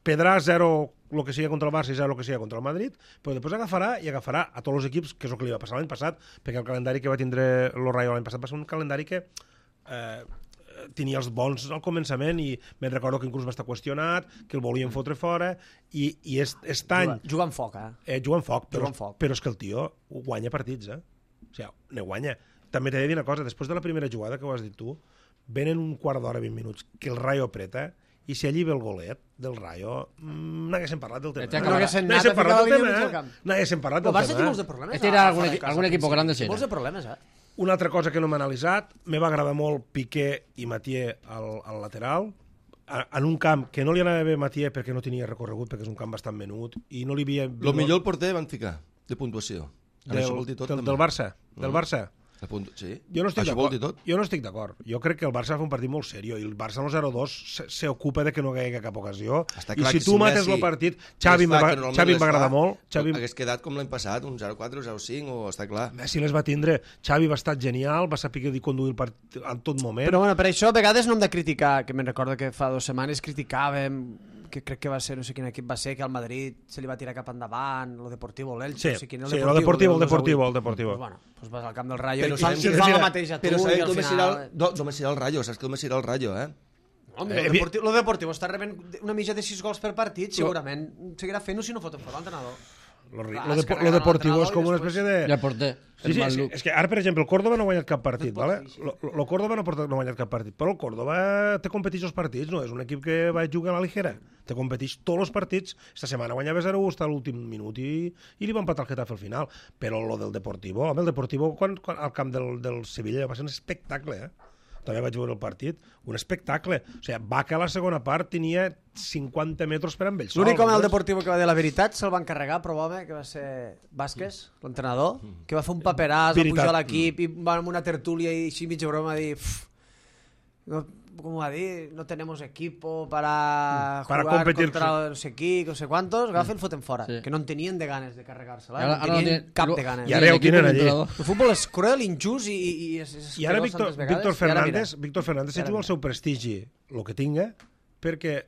pedrà 0 el que sigui contra el Barça i 0 el que sigui contra el Madrid, però després agafarà a tots els equips, que és el que li va passar l'any passat, perquè el calendari que va tindre el Rayo l'any passat va ser un calendari que tenia els bons al començament i me'n recordo que inclús va estar qüestionat, que el volien fotre fora i aquest any... Juga amb foc, juga amb foc, però és que el tio guanya partits, O sigui, ne guanya. També t'he de dir una cosa, després de la primera jugada que ho has dit tu, venen un quart d'hora, 20 minuts, que el Rayo apreta, i si allí ve el golet del Rayo, n'haguéssim parlat del tema. N'haguéssim parlat del tema. El Barça té molts de problemes. Este era algun equip grande. Molts de problemes, Una altra cosa que no m'he analitzat, me va agradar molt Piqué i Mathieu al lateral, en un camp que no li anava bé Mathieu perquè no tenia recorregut, perquè és un camp bastant menut, i no li havia... El millor porter van ficar, de puntuació. Del Barça? Del Barça? Sí. Jo no estic d'acord. Jo crec que el Barça va fer un partit molt seriós i el Barça al 0-2 s'ocupa de que no hi hagi cap ocasió. I si tu mates el partit... Xavi em va agradar molt. Hagués quedat com l'any passat, un 0-4 o 0-5, o està clar. Messi les va tindre. Xavi va estar genial, va saber conduir el partit en tot moment. Però bueno, per això a vegades no hem de criticar, que me'n recordo que fa 2 setmanes criticàvem, que crec que va ser, no sé quin equip va ser, que al Madrid se li va tirar cap endavant, lo Deportivo, l'Elche, no sé quin, el Deportivo. Pues bueno, pues vas al camp del Rayo i fan el mateix a tu i al final... D'on me serà el Rayo, saps que d'on me serà el Rayo, Lo Deportivo està rebent una mitja de 6 gols per partit, segurament seguirà fent-ho si no foten fora l'entrenador. Lo Deportivo és com una espècie de... Ja porter. Sí, és que ara, per exemple, el Córdoba no ha guanyat cap partit, ¿vale? El Córdoba no ha guanyat cap partit, però el Córdoba te competeix els partits, no és un equip que va jugar a la ligera, te competeix tots els partits. Esta setmana guanyava 0-1 fins a l'últim minut i li va empatar el Getafe al final. Però lo del Deportivo, home, el Deportivo quan al camp del Sevilla va ser un espectacle, també vaig veure el partit, un espectacle. O sigui, Vaca a la segona part tenia 50 metres per amb ell sol. L'únic home del Deportivo que va dir la veritat se'l van carregar, però home, que va ser Vázquez, l'entrenador, que va fer un paperàs, va pujar a l'equip i va amb una tertúlia i així mitja broma dir... No, com va dir? No tenemos equipo para jugar contra no sé qui, no sé quantos. Agafa i el foten fora. Sí. Que no en tenien de ganes de carregar-se-la. No tenien cap de ganes. I ara ho tenen allí. El futbol és cruel, injust i ara Víctor Fernández se juga el seu prestigi, el que tinga, perquè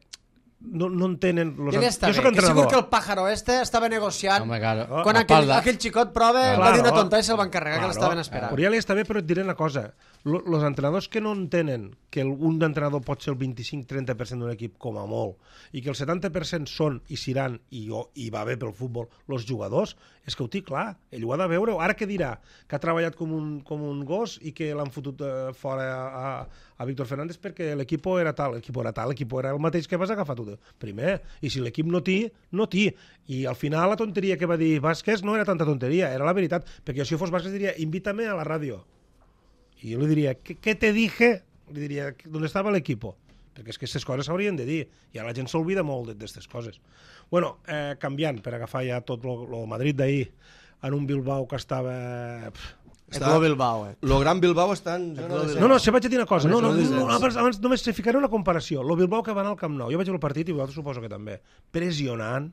no entenen... Ja està bé, que segur que el pájaro estava negociant quan aquell xicot prova va dir una tonta i se'l van carregar, que l'estaven esperant. Però ja li està bé, però et diré una cosa. Els entrenadors que no entenen que un entrenador pot ser el 25-30% d'un equip com a molt i que el 70% són i seran, i va bé pel futbol, els jugadors, és que ho té clar, ell ho ha de veure. Ara què dirà? Que ha treballat com un gos i que l'han fotut fora a Víctor Fernández perquè l'equip era tal, l'equip era el mateix que vas agafar tu primer, i si l'equip no té, no té. I al final la tonteria que va dir Vázquez no era tanta tonteria, era la veritat, perquè si jo fos Vázquez diria, invítame a la ràdio. I jo li diria, ¿qué te dije? Li diria, ¿dónde estaba l'equipo? Perquè és que aquestes coses s'haurien de dir, i ara la gent s'olvida molt d'aquestes coses. Bueno, canviant, per agafar ja tot el Madrid d'ahir, en un Bilbao que estava... El Bilbao, Lo gran Bilbao està en... No, se vaig a dir una cosa. Abans només se ficaré una comparació. Lo Bilbao que va anar al Camp Nou. Jo vaig veure el partit i vosaltres suposo que també. Pressionant.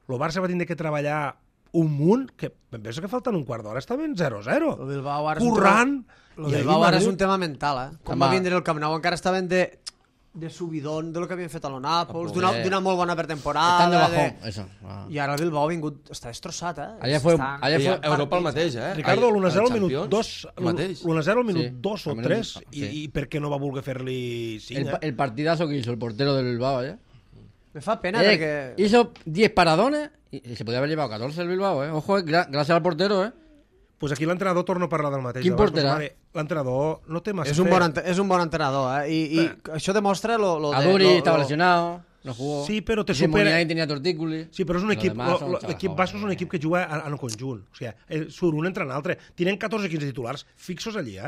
El Barça va tindre que treballar un munt, que em penso que falten un quart d'hora, estaven 0-0. El Bilbao ara currant. El Bilbao ara és un tema mental, Quan va vindre el Camp Nou encara estaven de subidón de lo que havien fet a l'Onàpols, d'una molt bona pretemporada. I ara el Bilbao ha vingut... Està destrossat, Allà fue Europa el mateix, Ricardo, l'1-0 al minut 2, l'1-0 al minut 2 o 3, i per què no va voler fer-li 5? El partidazo que hizo el portero del Bilbao, Me fa pena porque... Hizo 10 paradones y se podía haber llevado 14 el Bilbao, Ojo, gracias al portero, Pues aquí l'entrenador torna a parlar del mateix. Quin porterà? L'entrenador no té massa és un bon entrenador, I això demostra lo de... Aduri estava lesionado, no jugó. Sí, però te supera... Muniain tenia tortícoli. Sí, però és un equip... L'equip Basco és un equip que juga en conjunt. O sigui, surt un entre l'altre. Tenen 14-15 titulars fixos allí,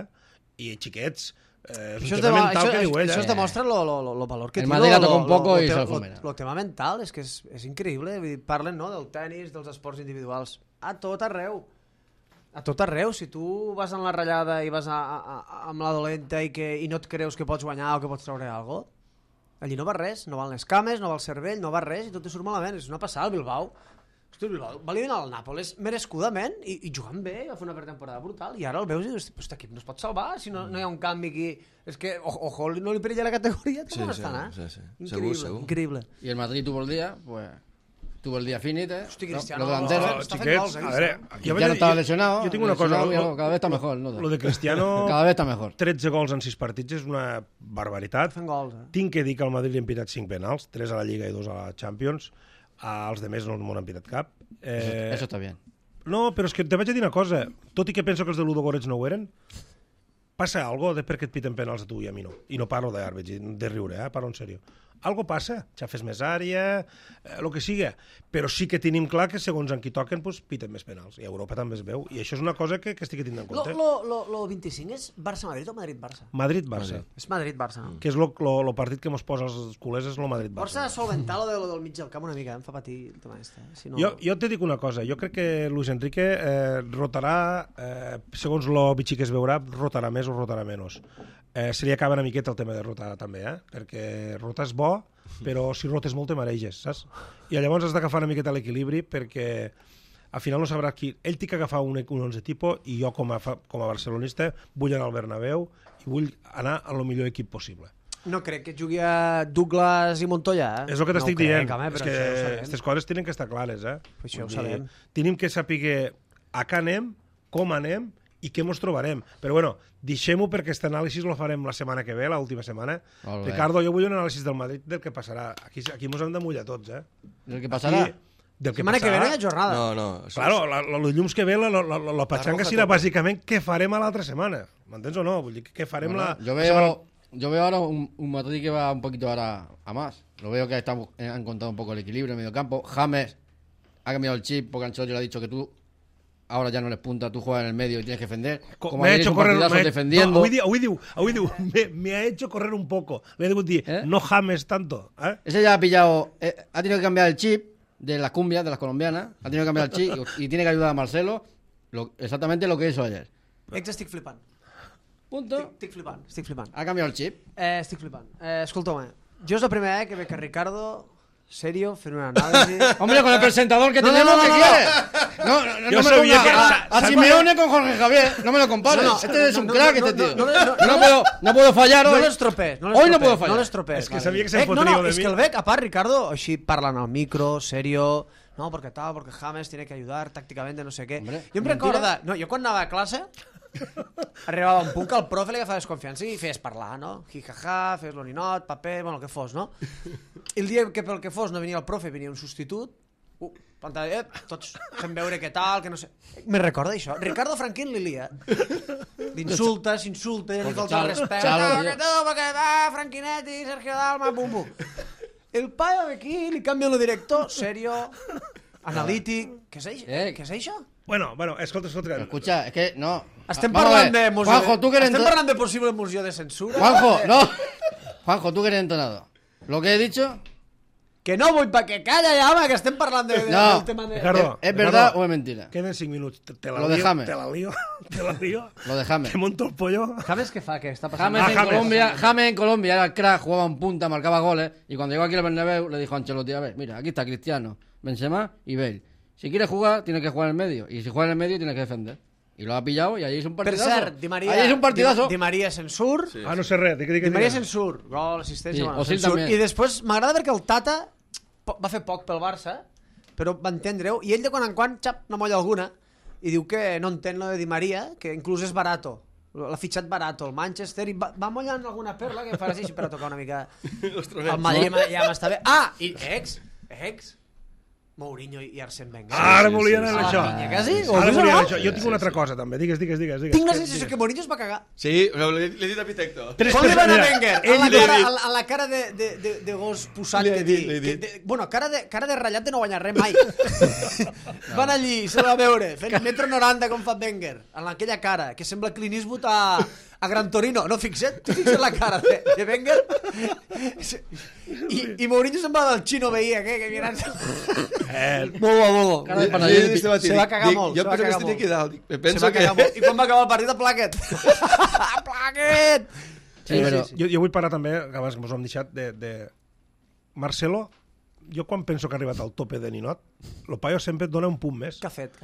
I xiquets... Això es demostra el valor que té. El Madrid la toca un poco i se'l fomena. El tema mental és que és increïble. Parlen del tenis, dels esports individuals. A tot arreu. A tot arreu, si tu vas en la ratllada i vas amb la dolenta i no et creus que pots guanyar o que pots treure alguna cosa, allí no va res, no van les cames, no va el cervell, no va res i tot te surt malament. És una passada, el Bilbao. Hosti, el Bilbao va eliminar el Nàpols merescudament i jugant bé, va fer una pretemporada brutal i ara el veus i dius, aquest equip no es pot salvar si no hi ha un canvi aquí. És que, ojo, no li perilla la categoria, com estan, Sí. Increïble. I el Madrid tuvo el día, pues... Tuvo el día finito, Hosti, Cristiano, xiquets, a veure, ya no estaba lesionado. Jo tinc una cosa, cada vez está mejor, ¿no? Lo de Cristiano, cada vez está mejor. 13 gols en 6 partits és una barbaritat. Fent gols, Tinc que dir que al Madrid li han pitat 5 penals, 3 a la Lliga i 2 a la Champions. Els demés no m'ho han pitat cap. Eso está bien. No, però és que te vaig a dir una cosa. Tot i que penso que els de Ludogorets no ho eren, passa algo de per què et piten penals a tu i a mi no. I no parlo d'àrbits, de riure, parlo en sèrio. Algo passa, xafes més àrea, el que siga, però sí que tenim clar que segons en qui toquen pues, piten més penals, i a Europa també es veu, i això és una cosa que estic tenint en compte. Lo 25 és Barça-Madrid o Madrid-Barça? Madrid-Barça. És Madrid-Barça, no? Que és el partit que mos posa els culers, és el Madrid-Barça. Força solventar lo del mig del camp una mica, em fa patir el tema este. Si no... Jo te dic una cosa, jo crec que Luis Enrique rotarà, segons lo bitxí que es veurà, rotarà més o rotarà menys. Se li acaba una miqueta el tema de rotar també, perquè rotar és bo, però si rotes molt te mareges, saps? I llavors has d'agafar una miqueta l'equilibri perquè al final no sabrà qui... Ell té que agafar un 11 tipus i jo com a barcelonista vull anar al Bernabéu i vull anar a lo millor equip possible. No crec que jugui a Douglas i Montoya, És el que t'estic dient, és que aquestes coses tenen que estar clares, Això ho sabem. Tenim que saber a què anem, com anem i què mos trobarem. Però bueno, deixem-ho perquè aquest anàlisi lo farem la setmana que ve, l'última setmana. Ricardo, jo vull un anàlisi del Madrid del que passarà. Aquí mos hem de mullar tots, Del que passarà? Del que setmana que ve no hi ha jornada. No. Claro, els llums que ve, la patxanga serà bàsicament què farem a l'altra setmana. M'entens o no? Vull dir, què farem la... Yo veo ahora un Madrid que va un poquito ahora a más. Lo veo que han encontrado un poco el equilibrio en medio campo. James ha cambiado el chip porque Ancelotti le ha dicho que tú ahora ya no eres punta, tú juegas en el medio y tienes que defender. Como me ha hecho correr defendiendo. Me ha hecho correr un poco. Le digo, no James tanto. Ese ya ha pillado, ha tenido que cambiar el chip de las cumbias, de las colombianas. Ha tenido que cambiar el chip y tiene que ayudar a Marcelo. Exactamente lo que hizo ayer. Estic flipant. Punto. Estic flipant. Ha cambiado el chip. Estic flipant. Escolta'm, jo és la primera vegada que veig a Ricardo serio fent una anàlisi. Hombre, con el presentador que tenemos, ¿qué quieres? No Yo me sabía ponga que- a Simeone con Jorge Javier. No me lo compares. Este es un crack, este tío. No puedo fallar No hoy. l'estropees. Hoy no puedo fallar. No l'estropees. És que sabia que se'n No, fotria de és mi. que el veig, a part, Ricardo, així parlant al micro, serio, no, porque tal, porque James tiene que ayudar tácticamente, no sé què. Hombre, Jo em recorda... No, jo quan anava a classe, arribava un punt que el profe li agafava desconfiança i feies parlar, no? Jijaja, feies l'oninot, paper, bueno, el que fos, no? I el dia que pel que fos no venia el profe, venia un substitut, pantalla, tots fent veure què tal, que no sé... Me recorda això. Ricardo Franquín li lia. S'insulta, li falta el respecte. Que tu, perquè va, Franquinetti, Sergio Dalma, pum, pum. El paio aquí li canvia el director, serio, analític... Què és això? Bueno, escolta. Escucha, es que no. Estem Vamos a parlant ver. de moció Juanjo, tú que eres Estem parlant de possible moció de censura. Juanjo, no. Juanjo, tú que eres entonado. Lo que he dicho, Que no vull, que calla ja, home, que estem parlant del tema de... Ricardo, ¿es verdad o es mentira? Queden 5 minuts. Te la Lo lío, de James. te la lío. Lo de James. Te monto el pollo. James, què fa? Què està passant? James en Colombia era el crack, jugaba en punta, marcaba goles. Y cuando llegó aquí al Bernabéu le dijo a Ancelotti, a ver, mira, aquí está Cristiano, Benzema y Bale. Si quieres jugar, tienes que jugar en el medio. Y si juegas en el medio, tienes que defender. Y lo ha pillado y ahí es un Per partidazo. cert, Di Maria... Ahí es un partidazo. Di Maria se'n surt. Sí. No sé res. Di Maria se'n surt. Gol, assistència, Sí, bueno, Osil se'n surt. també. I després m'agrada perquè el Tata va fer poc pel Barça, però va entendre-ho, i ell de quan en quan, xap, una molla alguna, i diu que no entén lo de Di Maria, que inclús és barato. L'ha fitxat barato el Manchester i va mollant alguna perla que farà així per a tocar una mica el Madrid ja m'està bé. Ah, i ex Mourinho i Arsène Wenger. Ara volien anar això. Pinya, quasi? Ara volien anar això. Jo tinc una altra cosa, també. Digues. Tinc la sensació que Mourinho es va cagar. Sí, l'he dit a Pitecto. Com li va anar a Wenger? Ell A la cara de gos posat Li he que dit. dir. Bueno, cara de ratllat de no guanyar res mai. Van allí, se va veure, fent 1,90 m com fa Wenger, en aquella cara, que sembla Clint Eastwood a Gran Torino. No, fixa't la cara de Wenger. I Mourinho se'n va del xino veí, que mirant... Molt bo. Cara de panadero. Se va cagar molt. Jo penso que estic aquí dalt. Se Penso va que... cagar molt. I quan va acabar el partit, a Plaquet. Plaquet! Sí, pero... Jo vull parlar també, que abans ens ho hem deixat, de Marcelo. Jo quan penso que ha arribat al tope de Ninot, el paio sempre et dona un punt més. Què ha fet?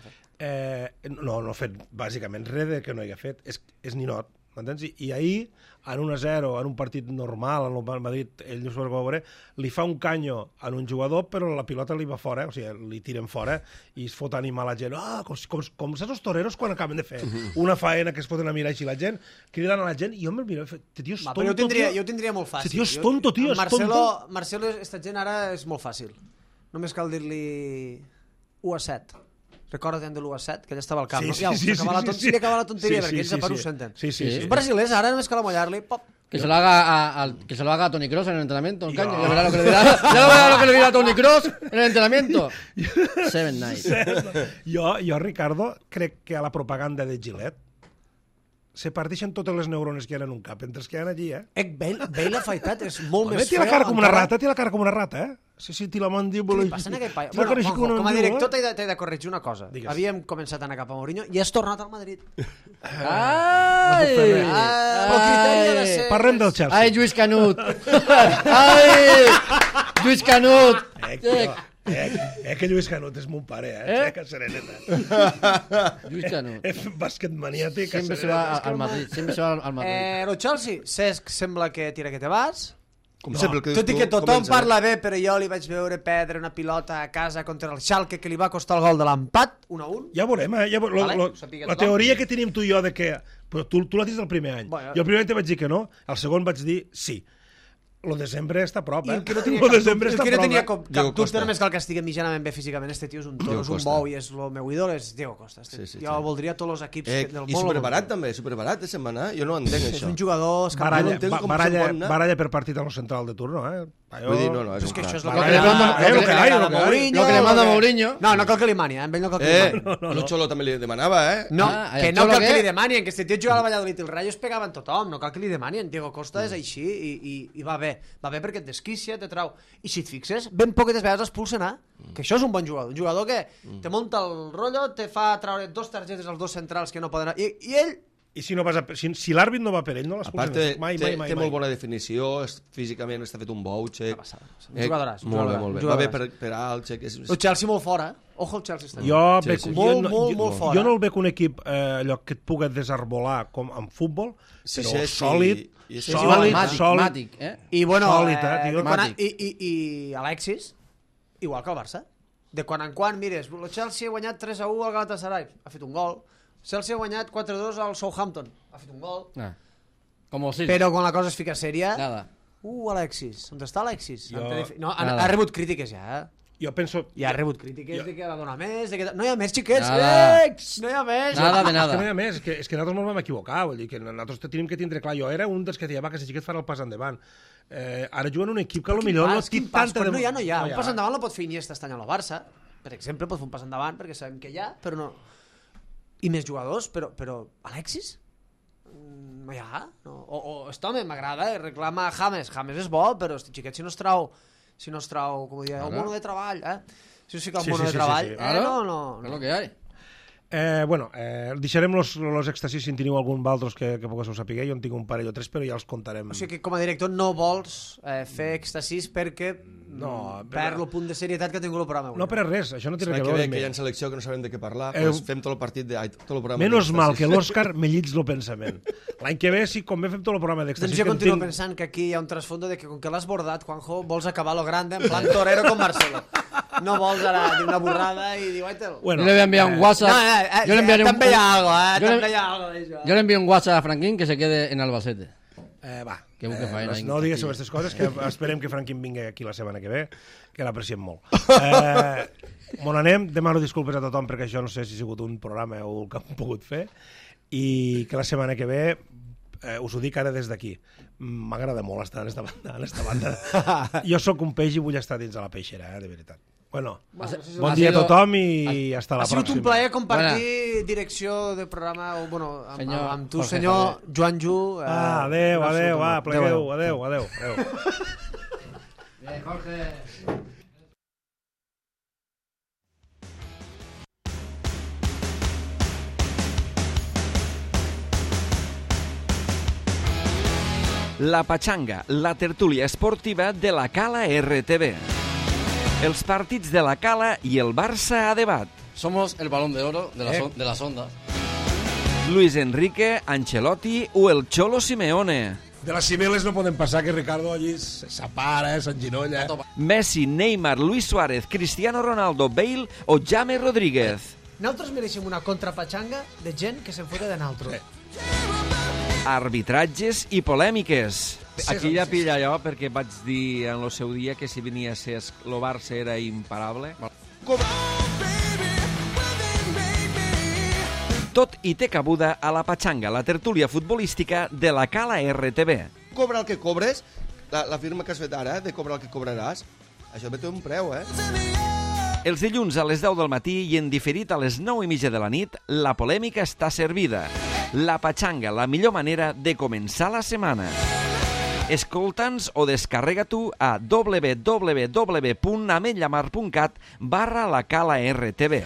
No ha fet bàsicament res de que no hi ha fet. És Ninot, m'entens? I ahir, en 1-0, en un partit normal, en el Madrid, ell no s'ho va veure, li fa un canyo en un jugador, però la pilota li va fora, o sigui, li tiren fora, i es fot animar la gent. Com saps els toreros quan acaben de fer una faena que es foten a mirar així la gent, criden a la gent, i jo me'l miro, tio, és tonto, jo ho tindria molt fàcil. Tio, és tonto, tio, és tonto. Marcelo, esta gent ara és molt fàcil. Només cal dir-li 1-7. Recorda't de l'1-7, que ella estava al camp. Sí, no? sí, Sí, acaba la tonteria, perquè ells a part ho senten. Els brasilers ara només cal amollar-li, pop. Que se lo haga a Toni Kroos en el entrenamiento. Ya verá lo que le dirá a Toni Kroos en el entrenamiento. 7 nights. Jo, Ricardo, crec que a la propaganda de Gillette se parteixen totes les neurones que hi ha en un cap, entre els que hi ha allí, Bale afaitat és molt més té la cara com una rata, eh? Sí, té la mandíbula... Què li passa en aquell paio? Bueno, Juanjo, com a director t'he de corregir una cosa. Digues. Havíem començat a anar cap a Mourinho i has tornat al Madrid. Ai! El criteri ha de ser... Parlem del Chelsea. Ai, Lluís Canut! Ai! Lluís Canut! Que Lluís Canut és mon pare, que sereneta. Lluís Canut. És bàsquet maniàtic. Siempre se va al Madrid. El Chelsea, Cesc sembla que tira que te vas. Com sempre, el que dius Tot i tu, que tothom comença parla bé, però jo li vaig veure perdre una pilota a casa contra el Schalke que li va costar el gol de l'empat, 1-1. Ja veurem, ja Vale, ho sàpiga la tothom. teoria que tenim tu i jo de que... Però tu l'has dit el primer any. Bueno. Jo el primer any te vaig dir que no, el segon vaig dir sí. Lo desembre està a prop, I eh? el que no tenia Lo desembre el està que a no prop, tenia eh? cap Diego dubte Costa. només cal que estigui mitjanament bé físicament. Este tio és un toro, Diego és un Costa. bou i és el meu ídol, és Diego Costa. Sí, Jo voldria tots els equips del món. I superbarat també, superbarat de setmana. Jo no entenc És això. un jugador escampat. no entenc com se'n pot anar. baralla per partit a lo central de turno, eh? Vull dir, no, és És un que això crac. és el Lo que que li manda- manda lo que hay, lo que hay. Mourinho. Lo que le manda lo que- Mourinho. No cal que li mani, ell no cal que li mani. El Xolo també li demanava, No, Ah, que el no Xolo cal que què? li demanin, que este tio jugava al Valladolid i el Rayo es pegaven tothom, no cal que li demanin. Diego Costa és així i va bé perquè et desquicia, te trau. I si et fixes, ben poquetes vegades expulsen, que això és un bon jugador, un jugador que te munta el rotllo, te fa traure 2 targetes als 2 centrals que no poden... I ell... I si, no vas si l'àrbit no va per ell, no A l'expulsen. part, Mai. té molt bona definició, físicament està fet un bou, Xec. Un jugadoràs, un Molt bé, jugadoràs, molt bé. un Va bé jugadoràs. per alt, Xec. El Chelsea molt fora, Ojo el Chelsea està. Jo, Sí, bec, sí. jo, Molt fora. jo no el veig un equip allò que et pugui desarbolar com en futbol, Sí, però sí, sòlid, i és sòlid, Màtic, sòlid. Màtic, eh? I bueno, Sòlid, tio. i Alexis, igual que el Barça. De quan en quan, mires, el Chelsea ha guanyat 3-1 al Galatasaray, ha fet un gol. El Chelsea ha guanyat 4-2 al Southampton, ha fet un gol. Ah. Como si. Però quan la cosa es fica sèria... Nada. Alexis, on està Alexis? Jo- No, Nada. ha rebut crítiques ja, Jo penso... I ha rebut crítiques de que ha de donar més, de que... No hi ha més, xiquets! Nada. No hi ha més! Nada de És que no nada. hi ha més, és que nosaltres ens vam equivocar, vull dir que nosaltres tenim que tindre clar. Jo era un dels que deia, va, que si xiquet farà el pas endavant. Ara juguen un equip que potser no té tanta... Quan no hi ha. Un pas endavant no pot fer Iniesta este any a la Barça. Per exemple, pot fer un pas endavant perquè sabem que hi ha, però no... I més jugadors, però Alexis? No hi ha. No. O este home m'agrada, reclama James. James és bo, però este xiquet si no es trau, com ho diria, el mono de treball, Si no es fica el mono de treball, Ara, no. és lo que hay. Deixarem los èxtasis si en teniu algun d'altres que poguéssiu saber. Jo en tinc un parell o tres, però ja els contarem. O sigui que com a director no vols fer èxtasis perquè perd el punt de serietat que ha tingut el programa avui. No per res, això no té res L'any a que ve, veure. que hi ha selecció que no sabem de què parlar, Eh, fem tot el partit, tot el programa. Menos mal d'èxtasis. que l'Òscar me llits el pensament. L'any que ve, sí, com bé fem tot el programa d'èxtasis... Doncs jo que en continuo tinc- pensant que aquí hi ha un trasfondo de que com que l'has bordat, Juanjo, vols acabar lo grande en plan torero com Marcelo. No vols ara dir una borrada i dir, guaitel. Bueno, Yo le voy a enviar un WhatsApp. Yo le enviaré un també hi ha algo, yo le- també hi ha algo d'això. Yo le envío un WhatsApp a Franquín que se quede en Albacete. Va, Que busque faena ahí en no digues Castilla. sobre aquestes coses, que esperem que Franquín vingui aquí la setmana que ve, que l'apreciem molt. Bon anem, demano disculpes a tothom perquè això no sé si ha sigut un programa o el que hem pogut fer, i que la setmana que ve us ho dic ara des d'aquí. M'agrada molt estar en esta banda. Jo sóc un peix i vull estar dins de la peixera, de veritat. Bueno, bon dia a tothom i hasta la Ha sigut un pròxima. plaer compartir direcció de programa amb tu, Jorge senyor Joan Ju. Adéu, plegueu, adéu. Bien, Jorge. La Pachanga, la tertúlia esportiva de la Cala RTV. Els partits de la Cala i el Barça a debat. Somos el balón de oro de las ondas. Luis Enrique, Ancelotti o el Cholo Simeone. De les cibeles no poden passar que Ricardo allí s'apara, s'enginolla. Messi, Neymar, Luis Suárez, Cristiano Ronaldo, Bale o James Rodríguez. Nosaltres mereixem una contrapatxanga de gent que se'n fota de naltros. Arbitratges i polèmiques. Aquí ja pilla jo, perquè vaig dir en el seu dia que si venia a ser el Barça era imparable. Tot i té cabuda a la Pachanga, la tertúlia futbolística de la Cala RTV. Cobra el que cobres, la firma que has fet ara, de cobrar el que cobraràs, això té un preu, Els dilluns a les 10 del matí i en diferit a les 9:30 de la nit, la polèmica està servida. La Pachanga, la millor manera de començar la setmana. Escolta'ns o descarrega tu a www.ametllamar.cat/la Cala RTV.